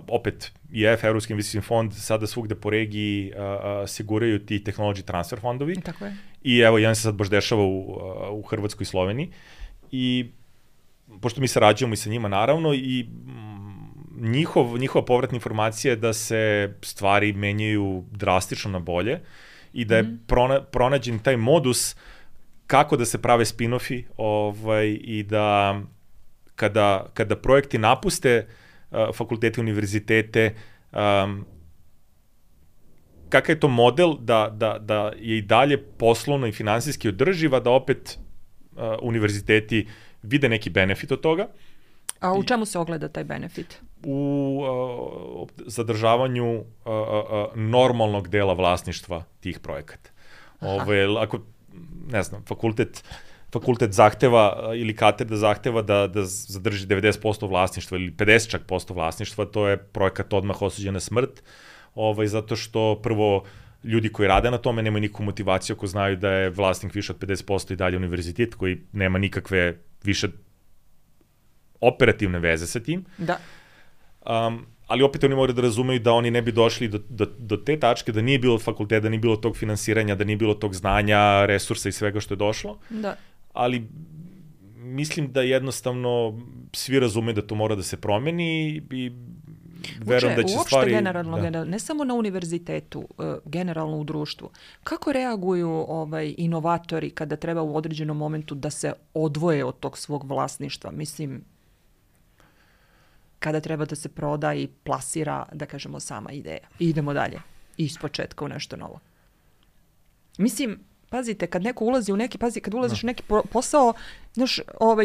opet IF, Evropski investicioni fond, sada svugde po regiji siguraju ti technology transfer fondovi. Tako je. I evo, jedan se sad baš dešava u Hrvatskoj i Sloveniji. I pošto mi sarađujemo i sa njima naravno, i njihova povratna informacija je da se stvari menjaju drastično na bolje i da je pronađen taj modus kako da se prave spin-offi i da kada projekti napuste fakultete, univerzitete, kakav je to model da je i dalje poslovno i finansijski održiva, da opet univerziteti vide neki benefit od toga. A u čemu se ogleda taj benefit? U zadržavanju normalnog dela vlasništva tih projekata. Ako, ne znam, fakultet zahteva ili katedra zahteva da zadrži 90% vlasništva ili 50% vlasništva, to je projekat odmah osuđen na smrt, zato što prvo ljudi koji rade na tome nemaju nikakvu motivaciju ako znaju da je vlasnik više od 50% i dalje univerzitet koji nema nikakve više operativne veze sa tim. Da. Ali opet oni moraju da razumeju da oni ne bi došli do te tačke, da nije bilo fakulteta, da nije bilo tog finansiranja, da nije bilo tog znanja, resursa i svega što je došlo. Da. Ali mislim da jednostavno svi razumeju da to mora da se promeni i verujem da će stvari... Uopšte generalno, ne samo na univerzitetu, generalno u društvu. Kako reaguju inovatori kada treba u određenom momentu da se odvoje od tog svog vlasništva? Mislim, kada treba da se proda i plasira, da kažemo, sama ideja. I idemo dalje. Ispočetka u nešto novo. Mislim, pazite, kad neko ulazi u neki, kad ulaziš u neki posao, znaš,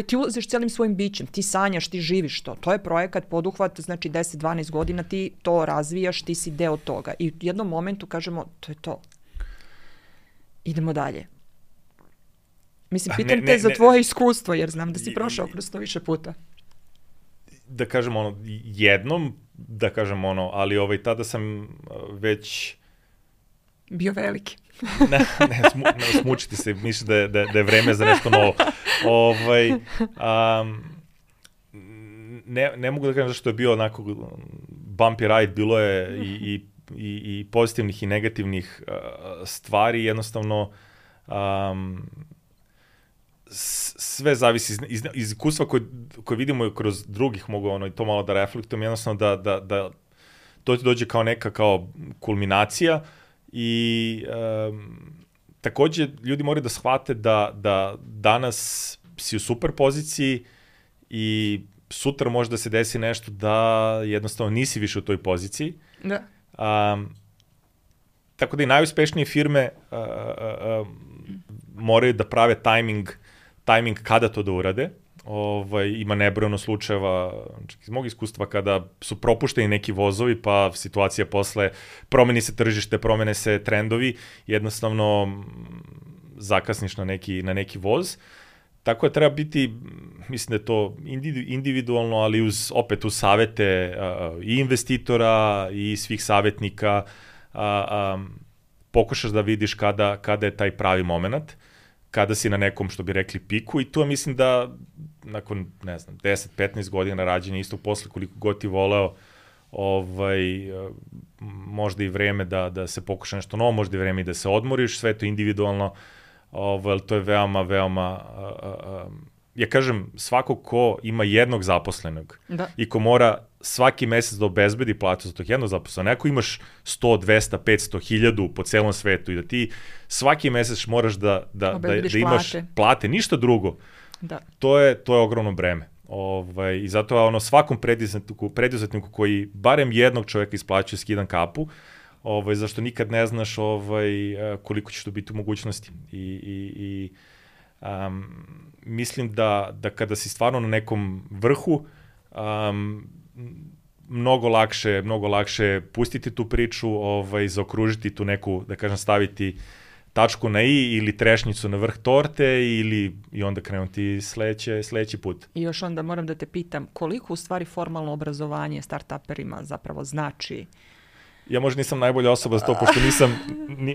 ti ulaziš cijelim svojim bićem, ti sanjaš, ti živiš to. To je projekat, poduhvat, znači 10-12 godina ti to razvijaš, ti si deo toga. I u jednom momentu kažemo, to je to. Idemo dalje. Mislim, pitam te za tvoje iskustvo, jer znam da si prošao kroz to više puta. Da kažem jednom, ali tada sam već... Bio veliki. ne, smučiti se, mislim da je vreme za nešto novo. Ne mogu da kažem zašto je bio onako bumpy ride, bilo je i pozitivnih i negativnih stvari, jednostavno sve zavisi iz iskustva koje vidimo kroz drugih, mogu to malo da reflektujem, jednostavno da to ti dođe kao neka kulminacija i takođe ljudi moraju da shvate da danas si u super poziciji i sutra može da se desi nešto da jednostavno nisi više u toj poziciji. Da. Tako da i najuspešnije firme moraju da prave timing kada to da urade. Ima nebrojeno slučajeva iz mog iskustva kada su propušteni neki vozovi, pa situacija posle promeni se tržište, promene se trendovi, jednostavno zakasniš na neki voz. Tako da treba biti, mislim da je to individualno, ali opet uz savete i investitora i svih savetnika, pokušaš da vidiš kada je taj pravi moment, kada si na nekom, što bi rekli, piku, i tu mislim da nakon, 10-15 godina rađenja istog posla, koliko god ti voleo, možda i vreme da se pokuša nešto novo, možda i vreme i da se odmoriš, sve to individualno, to je veoma, veoma, ja kažem, svako ko ima jednog zaposlenog i ko mora svaki mesec da obezbedi platu za tog jednog zaposlenog, neko imaš 100, 200, 500, 1000 po celom svetu i da ti svaki mesec moraš da imaš plate, ništa drugo, to je ogromno breme. I zato svakom preduzetniku koji barem jednog čoveka isplaćuje, skidam kapu, zašto nikad ne znaš koliko ćeš to biti u mogućnosti. Mislim da kada si stvarno na nekom vrhu, mnogo lakše pustiti tu priču, zaokružiti tu neku, da kažem, staviti tačku na i ili trešnjicu na vrh torte i onda krenuti sledeći put. I još onda moram da te pitam, koliko u stvari formalno obrazovanje startuperima zapravo znači? Ja možda nisam najbolja osoba za to, pošto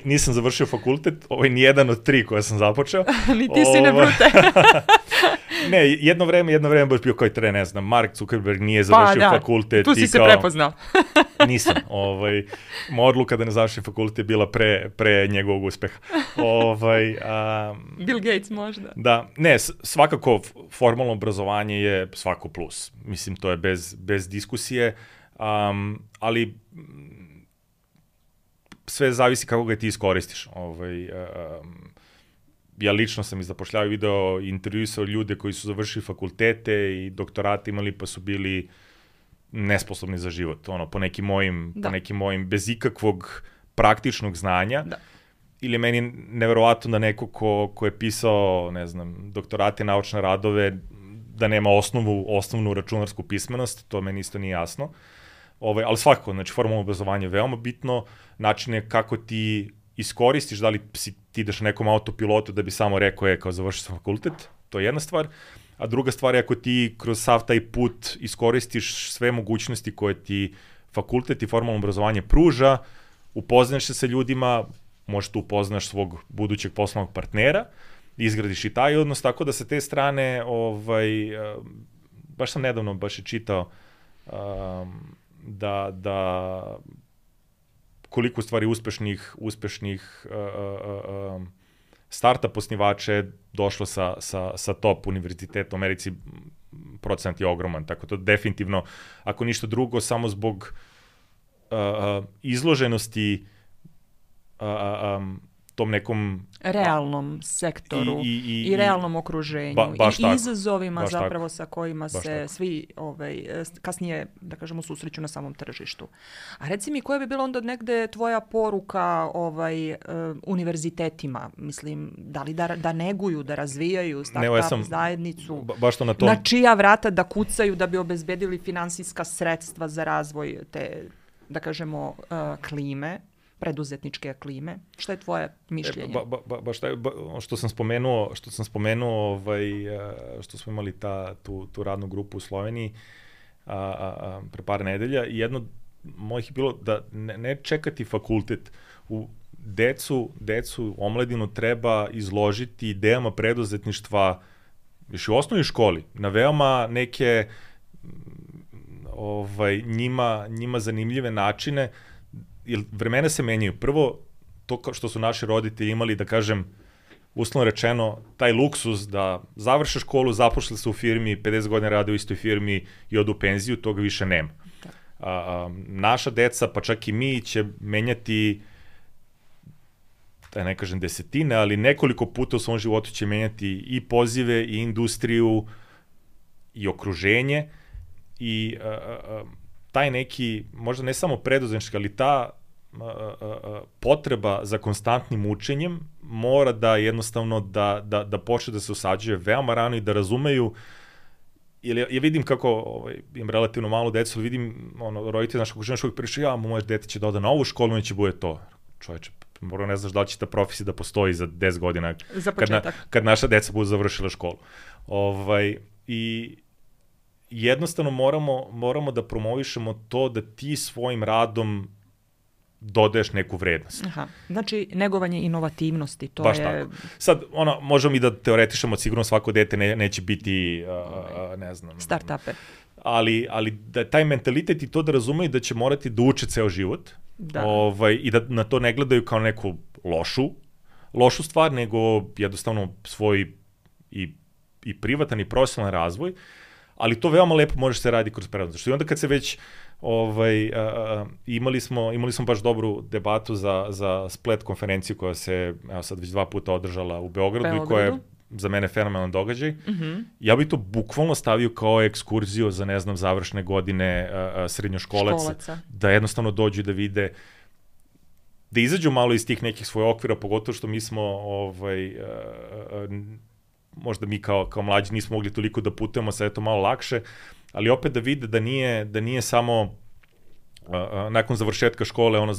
nisam završio fakultet, nijedan od 3 koje sam započeo. Ni ti si ne brute. Ne, jedno vreme baš bio koji ne znam, Mark Zuckerberg nije završio fakultet. Tu si se prepoznao. Nisam. Moja odluka da ne završim fakultet je bila pre njegovog uspeha. Bill Gates možda. Da, ne, svakako formalno obrazovanje je svako plus. Mislim, to je bez diskusije, ali sve zavisi kako ga ti iskoristiš. Ja lično sam i zapošljavao, video, intervjuisao ljude koji su završili fakultete i doktorate imali, pa su bili nesposobni za život. Po nekim mojim, bez ikakvog praktičnog znanja. Da. Ili je meni neverovatno da neko ko je pisao, ne znam, doktorate, naučne radove, da nema osnovnu računarsku pismenost, to meni isto nije jasno. Ali svakako, znači, formalno obrazovanje je veoma bitno, način je kako ti iskoristiš, da li ti ideš na nekom autopilotu da bi samo rekao kao završio sam fakultet, to je jedna stvar, a druga stvar je ako ti kroz sav taj put iskoristiš sve mogućnosti koje ti fakultet i formalno obrazovanje pruža, upoznaš se sa ljudima, možeš tu upoznaš svog budućeg poslovnog partnera, izgradiš i taj odnos, tako da sa te strane, baš sam nedavno je čitao da koliko stvari uspešnih startup osnivača je došlo sa top univerziteta u Americi, procenat je ogroman, tako to definitivno, ako ništa drugo, samo zbog izloženosti tom nekom realnom sektoru i realnom okruženju i izazovima zapravo sa kojima se svi kasnije, da kažemo, susreću na samom tržištu. A reci mi, koja bi bila onda negde tvoja poruka univerzitetima? Mislim, da li da neguju, da razvijaju startup zajednicu? Na čija vrata da kucaju da bi obezbedili finansijska sredstva za razvoj te, da kažemo, klime? Preduzetničke klime. Šta je tvoje mišljenje? Što sam spomenuo, što smo imali tu radnu grupu u Sloveniji pre par nedelja, i jedno mojih je bilo da ne čekati fakultet. Decu, omladinu treba izložiti idejama preduzetništva još u osnovnoj školi, na veoma neke njima zanimljive načine, jer vremena se menjaju. Prvo, to što su naši roditelji imali, da kažem, uslovno rečeno, taj luksuz da završe školu, zapošle se u firmi, 50 godina rade u istoj firmi i odu u penziju, toga više nema. Naša deca, pa čak i mi, će menjati, da ne kažem desetine, ali nekoliko puta u svom životu će menjati i pozive, i industriju, i okruženje, i taj neki, možda ne samo preduzetnički, ali ta potreba za konstantnim učenjem mora da jednostavno da počne da se usađuje veoma rano i da razumeju. Ja vidim kako, imam relativno malo decu, vidim roditelji našeg okruženja što uvijek pričaju, moje dete će da ode na ovu školu, neće bude to. Čoveče, možda ne znaš da li će ta profesija da postoji za 10 godina kad naša deca budu završila školu. I jednostavno moramo da promovišemo to da ti svojim radom dodaješ neku vrednost. Aha. Znači, negovanje inovativnosti, to baš je... Tako. Sad, možemo i da teoretišemo, sigurno svako dete neće biti, ne znam... Startuper. Ali da taj mentalitet i to da razumeju da će morati da uče ceo život i da na to ne gledaju kao neku lošu stvar, nego jednostavno svoj i privatan i profesionalan razvoj, ali to veoma lepo može se radi kroz preduzetništvo. I onda kad se već imali smo baš dobru debatu za Splet konferenciju koja se sad već 2 puta održala u Beogradu i koja je za mene fenomenalan događaj. Ja bih to bukvalno stavio kao ekskurziju za, ne znam, završne godine srednjoškolaca. Da jednostavno dođu da vide, da izađu malo iz tih nekih svojih okvira, pogotovo što mi smo, možda mi kao mlađi nismo mogli toliko da putujemo, sad je to malo lakše, ali opet da vide da nije samo nakon završetka škole,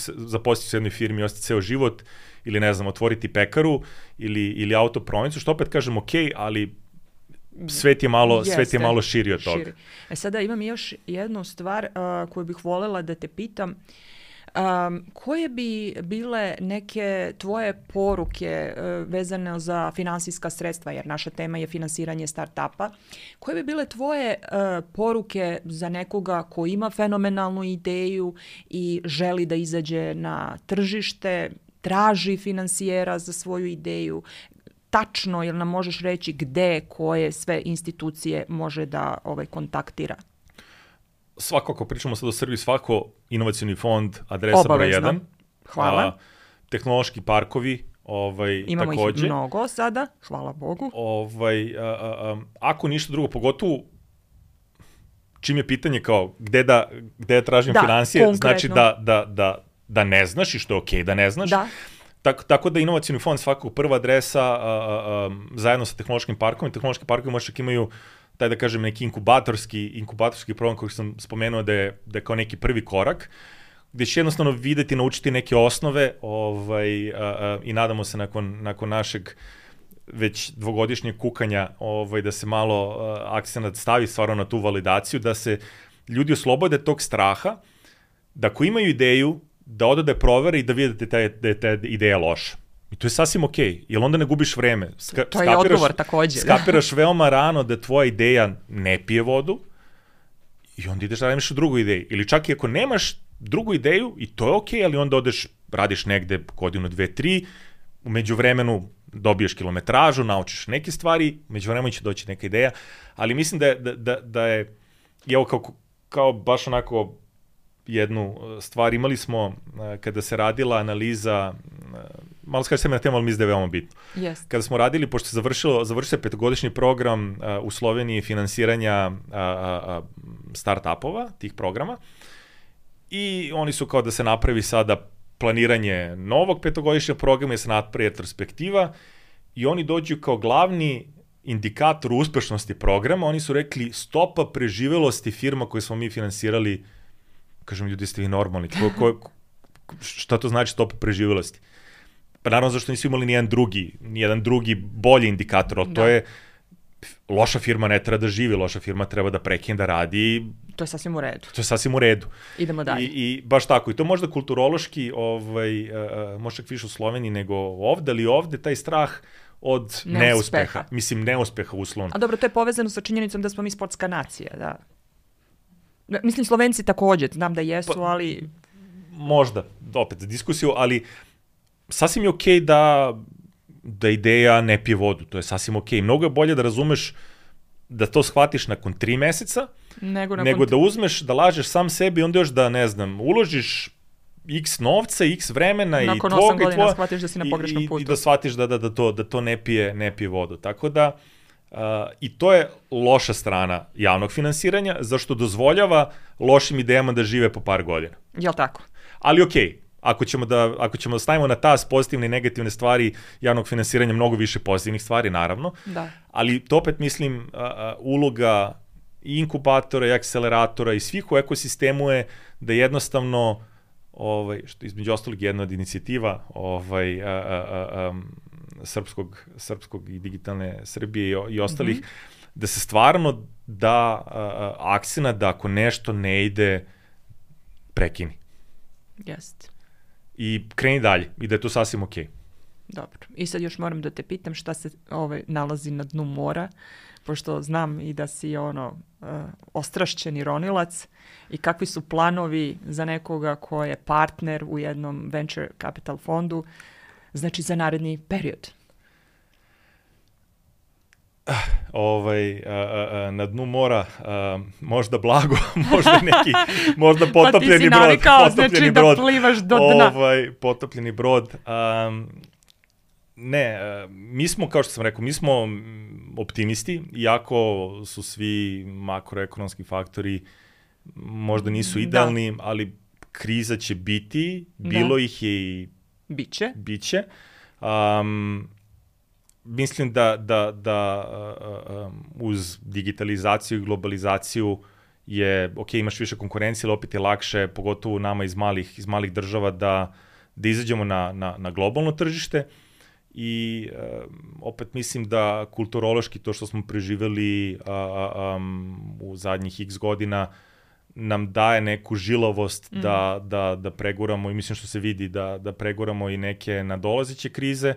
zaposliti se u jednoj firmi i ostati ceo život, ili ne znam, otvoriti pekaru ili autoprodavnicu, što opet kažem ok, ali svet je malo širi od toga. Sada imam još jednu stvar koju bih voljela da te pitam. Koje bi bile neke tvoje poruke vezane za finansijska sredstva, jer naša tema je finansiranje startupa, koje bi bile tvoje poruke za nekoga ko ima fenomenalnu ideju i želi da izađe na tržište, traži finansijera za svoju ideju, tačno, jel nam možeš reći gde, koje sve institucije može da kontaktira? Svako, ako pričamo sad o Srbiji, svako inovacioni fond, adresa broj 1. Hvala. Tehnološki parkovi, imamo takođe. Ih mnogo sada, hvala Bogu. Ako ništa drugo, pogotovo čim je pitanje kao gde da tražim financije, konkretno. Znači da ne znaš i što je okej da ne znaš. Da. Tako da inovacioni fond svakog prva adresa zajedno sa tehnološkim parkovima. Tehnološki parkovi možda imaju taj, da kažem, neki inkubatorski program koji sam spomenuo da je kao neki prvi korak, gde će jednostavno videti, naučiti neke osnove i nadamo se nakon našeg već dvogodišnjeg kukanja da se malo akcenat stavi stvarno na tu validaciju, da se ljudi oslobode tog straha, da ako imaju ideju, da ode da je provere i da vide da je ta ideja loša. I to je sasvim okej, jer onda ne gubiš vreme. To je odgovor takođe. Skapiraš veoma rano da tvoja ideja ne pije vodu i onda ideš da radiš drugu ideju. Ili čak i ako nemaš drugu ideju, i to je okej, ali onda radiš negde godinu, 2, 3, u međuvremenu dobiješ kilometražu, naučiš neke stvari, u međuvremenu će doći neka ideja, ali mislim da je evo kao baš onako jednu stvar, imali smo kada se radila analiza, malo skaži se mi na temu, ali mislim da je veoma bitno. Yes. Kada smo radili, pošto se završio se 5-godišnji program u Sloveniji finansiranja start-upova, tih programa, i oni su kao da se napravi sada planiranje novog 5-godišnjeg programa, da se napravi retrospektiva, i oni dođu kao glavni indikator uspešnosti programa, oni su rekli stopa preživelosti firma koje smo mi finansirali. Kažem, ljudi, ste vi normalni. Šta to znači stopa preživelosti? Pa naravno zašto nisu imali nijedan drugi bolji indikator, ali to je loša firma ne treba da živi, loša firma treba da prekine da radi. To je sasvim u redu. Idemo dalje. I baš tako. I to možda kulturološki, možda više u Sloveniji nego ovde, ali ovde taj strah od neuspeha. Mislim, neuspeha uslovno. A dobro, to je povezano sa činjenicom da smo mi sportska nacija, da. Mislim, Slovenci takođe, znam da jesu, ali... Možda, opet, za diskusiju, ali sasvim je okej da ideja ne pije vodu, to je sasvim okej. Mnogo je bolje da razumeš, da to shvatiš nakon 3 meseca, nego da uzmeš, da lažeš sam sebi i onda još da, ne znam, uložiš x novca, x vremena nakon i tvoga. Nakon 8 godina shvatiš da si na pogrešnom putu. I da shvatiš da to ne pije vodu. Tako da, i to je loša strana javnog finansiranja, zašto dozvoljava lošim idejama da žive po par godina. Jel' tako? Ali okej, ako ćemo da stavimo na tas pozitivne i negativne stvari javnog finansiranja, mnogo više pozitivnih stvari, naravno. Da. Ali to opet mislim, uloga i inkubatora i akceleratora i svih u ekosistemu je da jednostavno, što između ostalog jedna od inicijativa srpskog i digitalne Srbije i ostalih, da se stvarno da akcenat da ako nešto ne ide, prekini. Jeste. I kreni dalje i da je to sasvim okej. Dobro. I sad još moram da te pitam šta se nalazi na dnu mora, pošto znam i da si ostrašćeni ronilac, i kakvi su planovi za nekoga ko je partner u jednom venture capital fondu, znači za naredni period. Na dnu mora možda blago, možda potopljeni brod. Pa ti si navikao, znači da plivaš do dna. Potopljeni brod. Ne, mi smo, kao što sam rekao, mi smo optimisti, iako su svi makroekonomski faktori možda nisu idealni, ali kriza će biti, bilo ih je i biće. Mislim da uz digitalizaciju i globalizaciju je, imaš više konkurencije, ali opet je lakše, pogotovo nama iz malih država, da izađemo na globalno tržište. I opet mislim da kulturološki to što smo preživeli u zadnjih x godina nam daje neku žilavost da preguramo, i mislim što se vidi da preguramo i neke nadolazeće krize.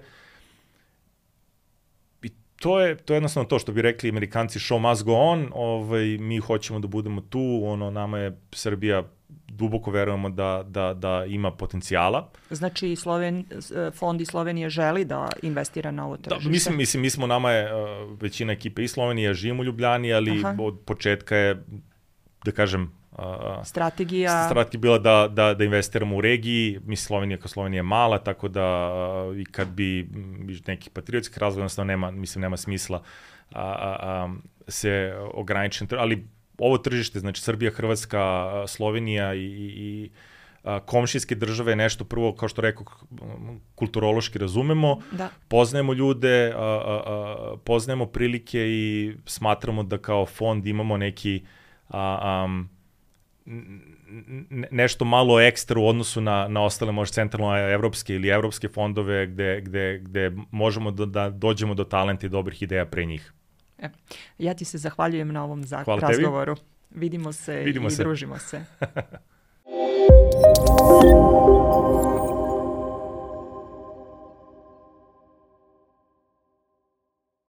I to je jednostavno to što bi rekli Amerikanci, show must go on, mi hoćemo da budemo tu, nama je Srbija, duboko verujemo da ima potencijala. Znači, fond iz Slovenije želi da investira na ovo tržište? Mislim, nama je većina ekipe iz Slovenije, živimo u Ljubljani, ali od početka je, da kažem, strategija bila da investiramo u regiji. Slovenija je mala, tako da i kad bi nekih patriotskih razloga, jednostavno nema smisla se ograničiti, ali ovo tržište, znači Srbija, Hrvatska, Slovenija i komšijske države je nešto prvo, kao što rekao, kulturološki razumemo, poznajemo ljude, poznajemo prilike i smatramo da kao fond imamo neki nešto malo ekstra u odnosu na ostale možda centralno-evropske ili evropske fondove gde možemo da dođemo do talenta i dobrih ideja pre njih. Ja ti se zahvaljujem na ovom razgovoru. Vidimo se i družimo se.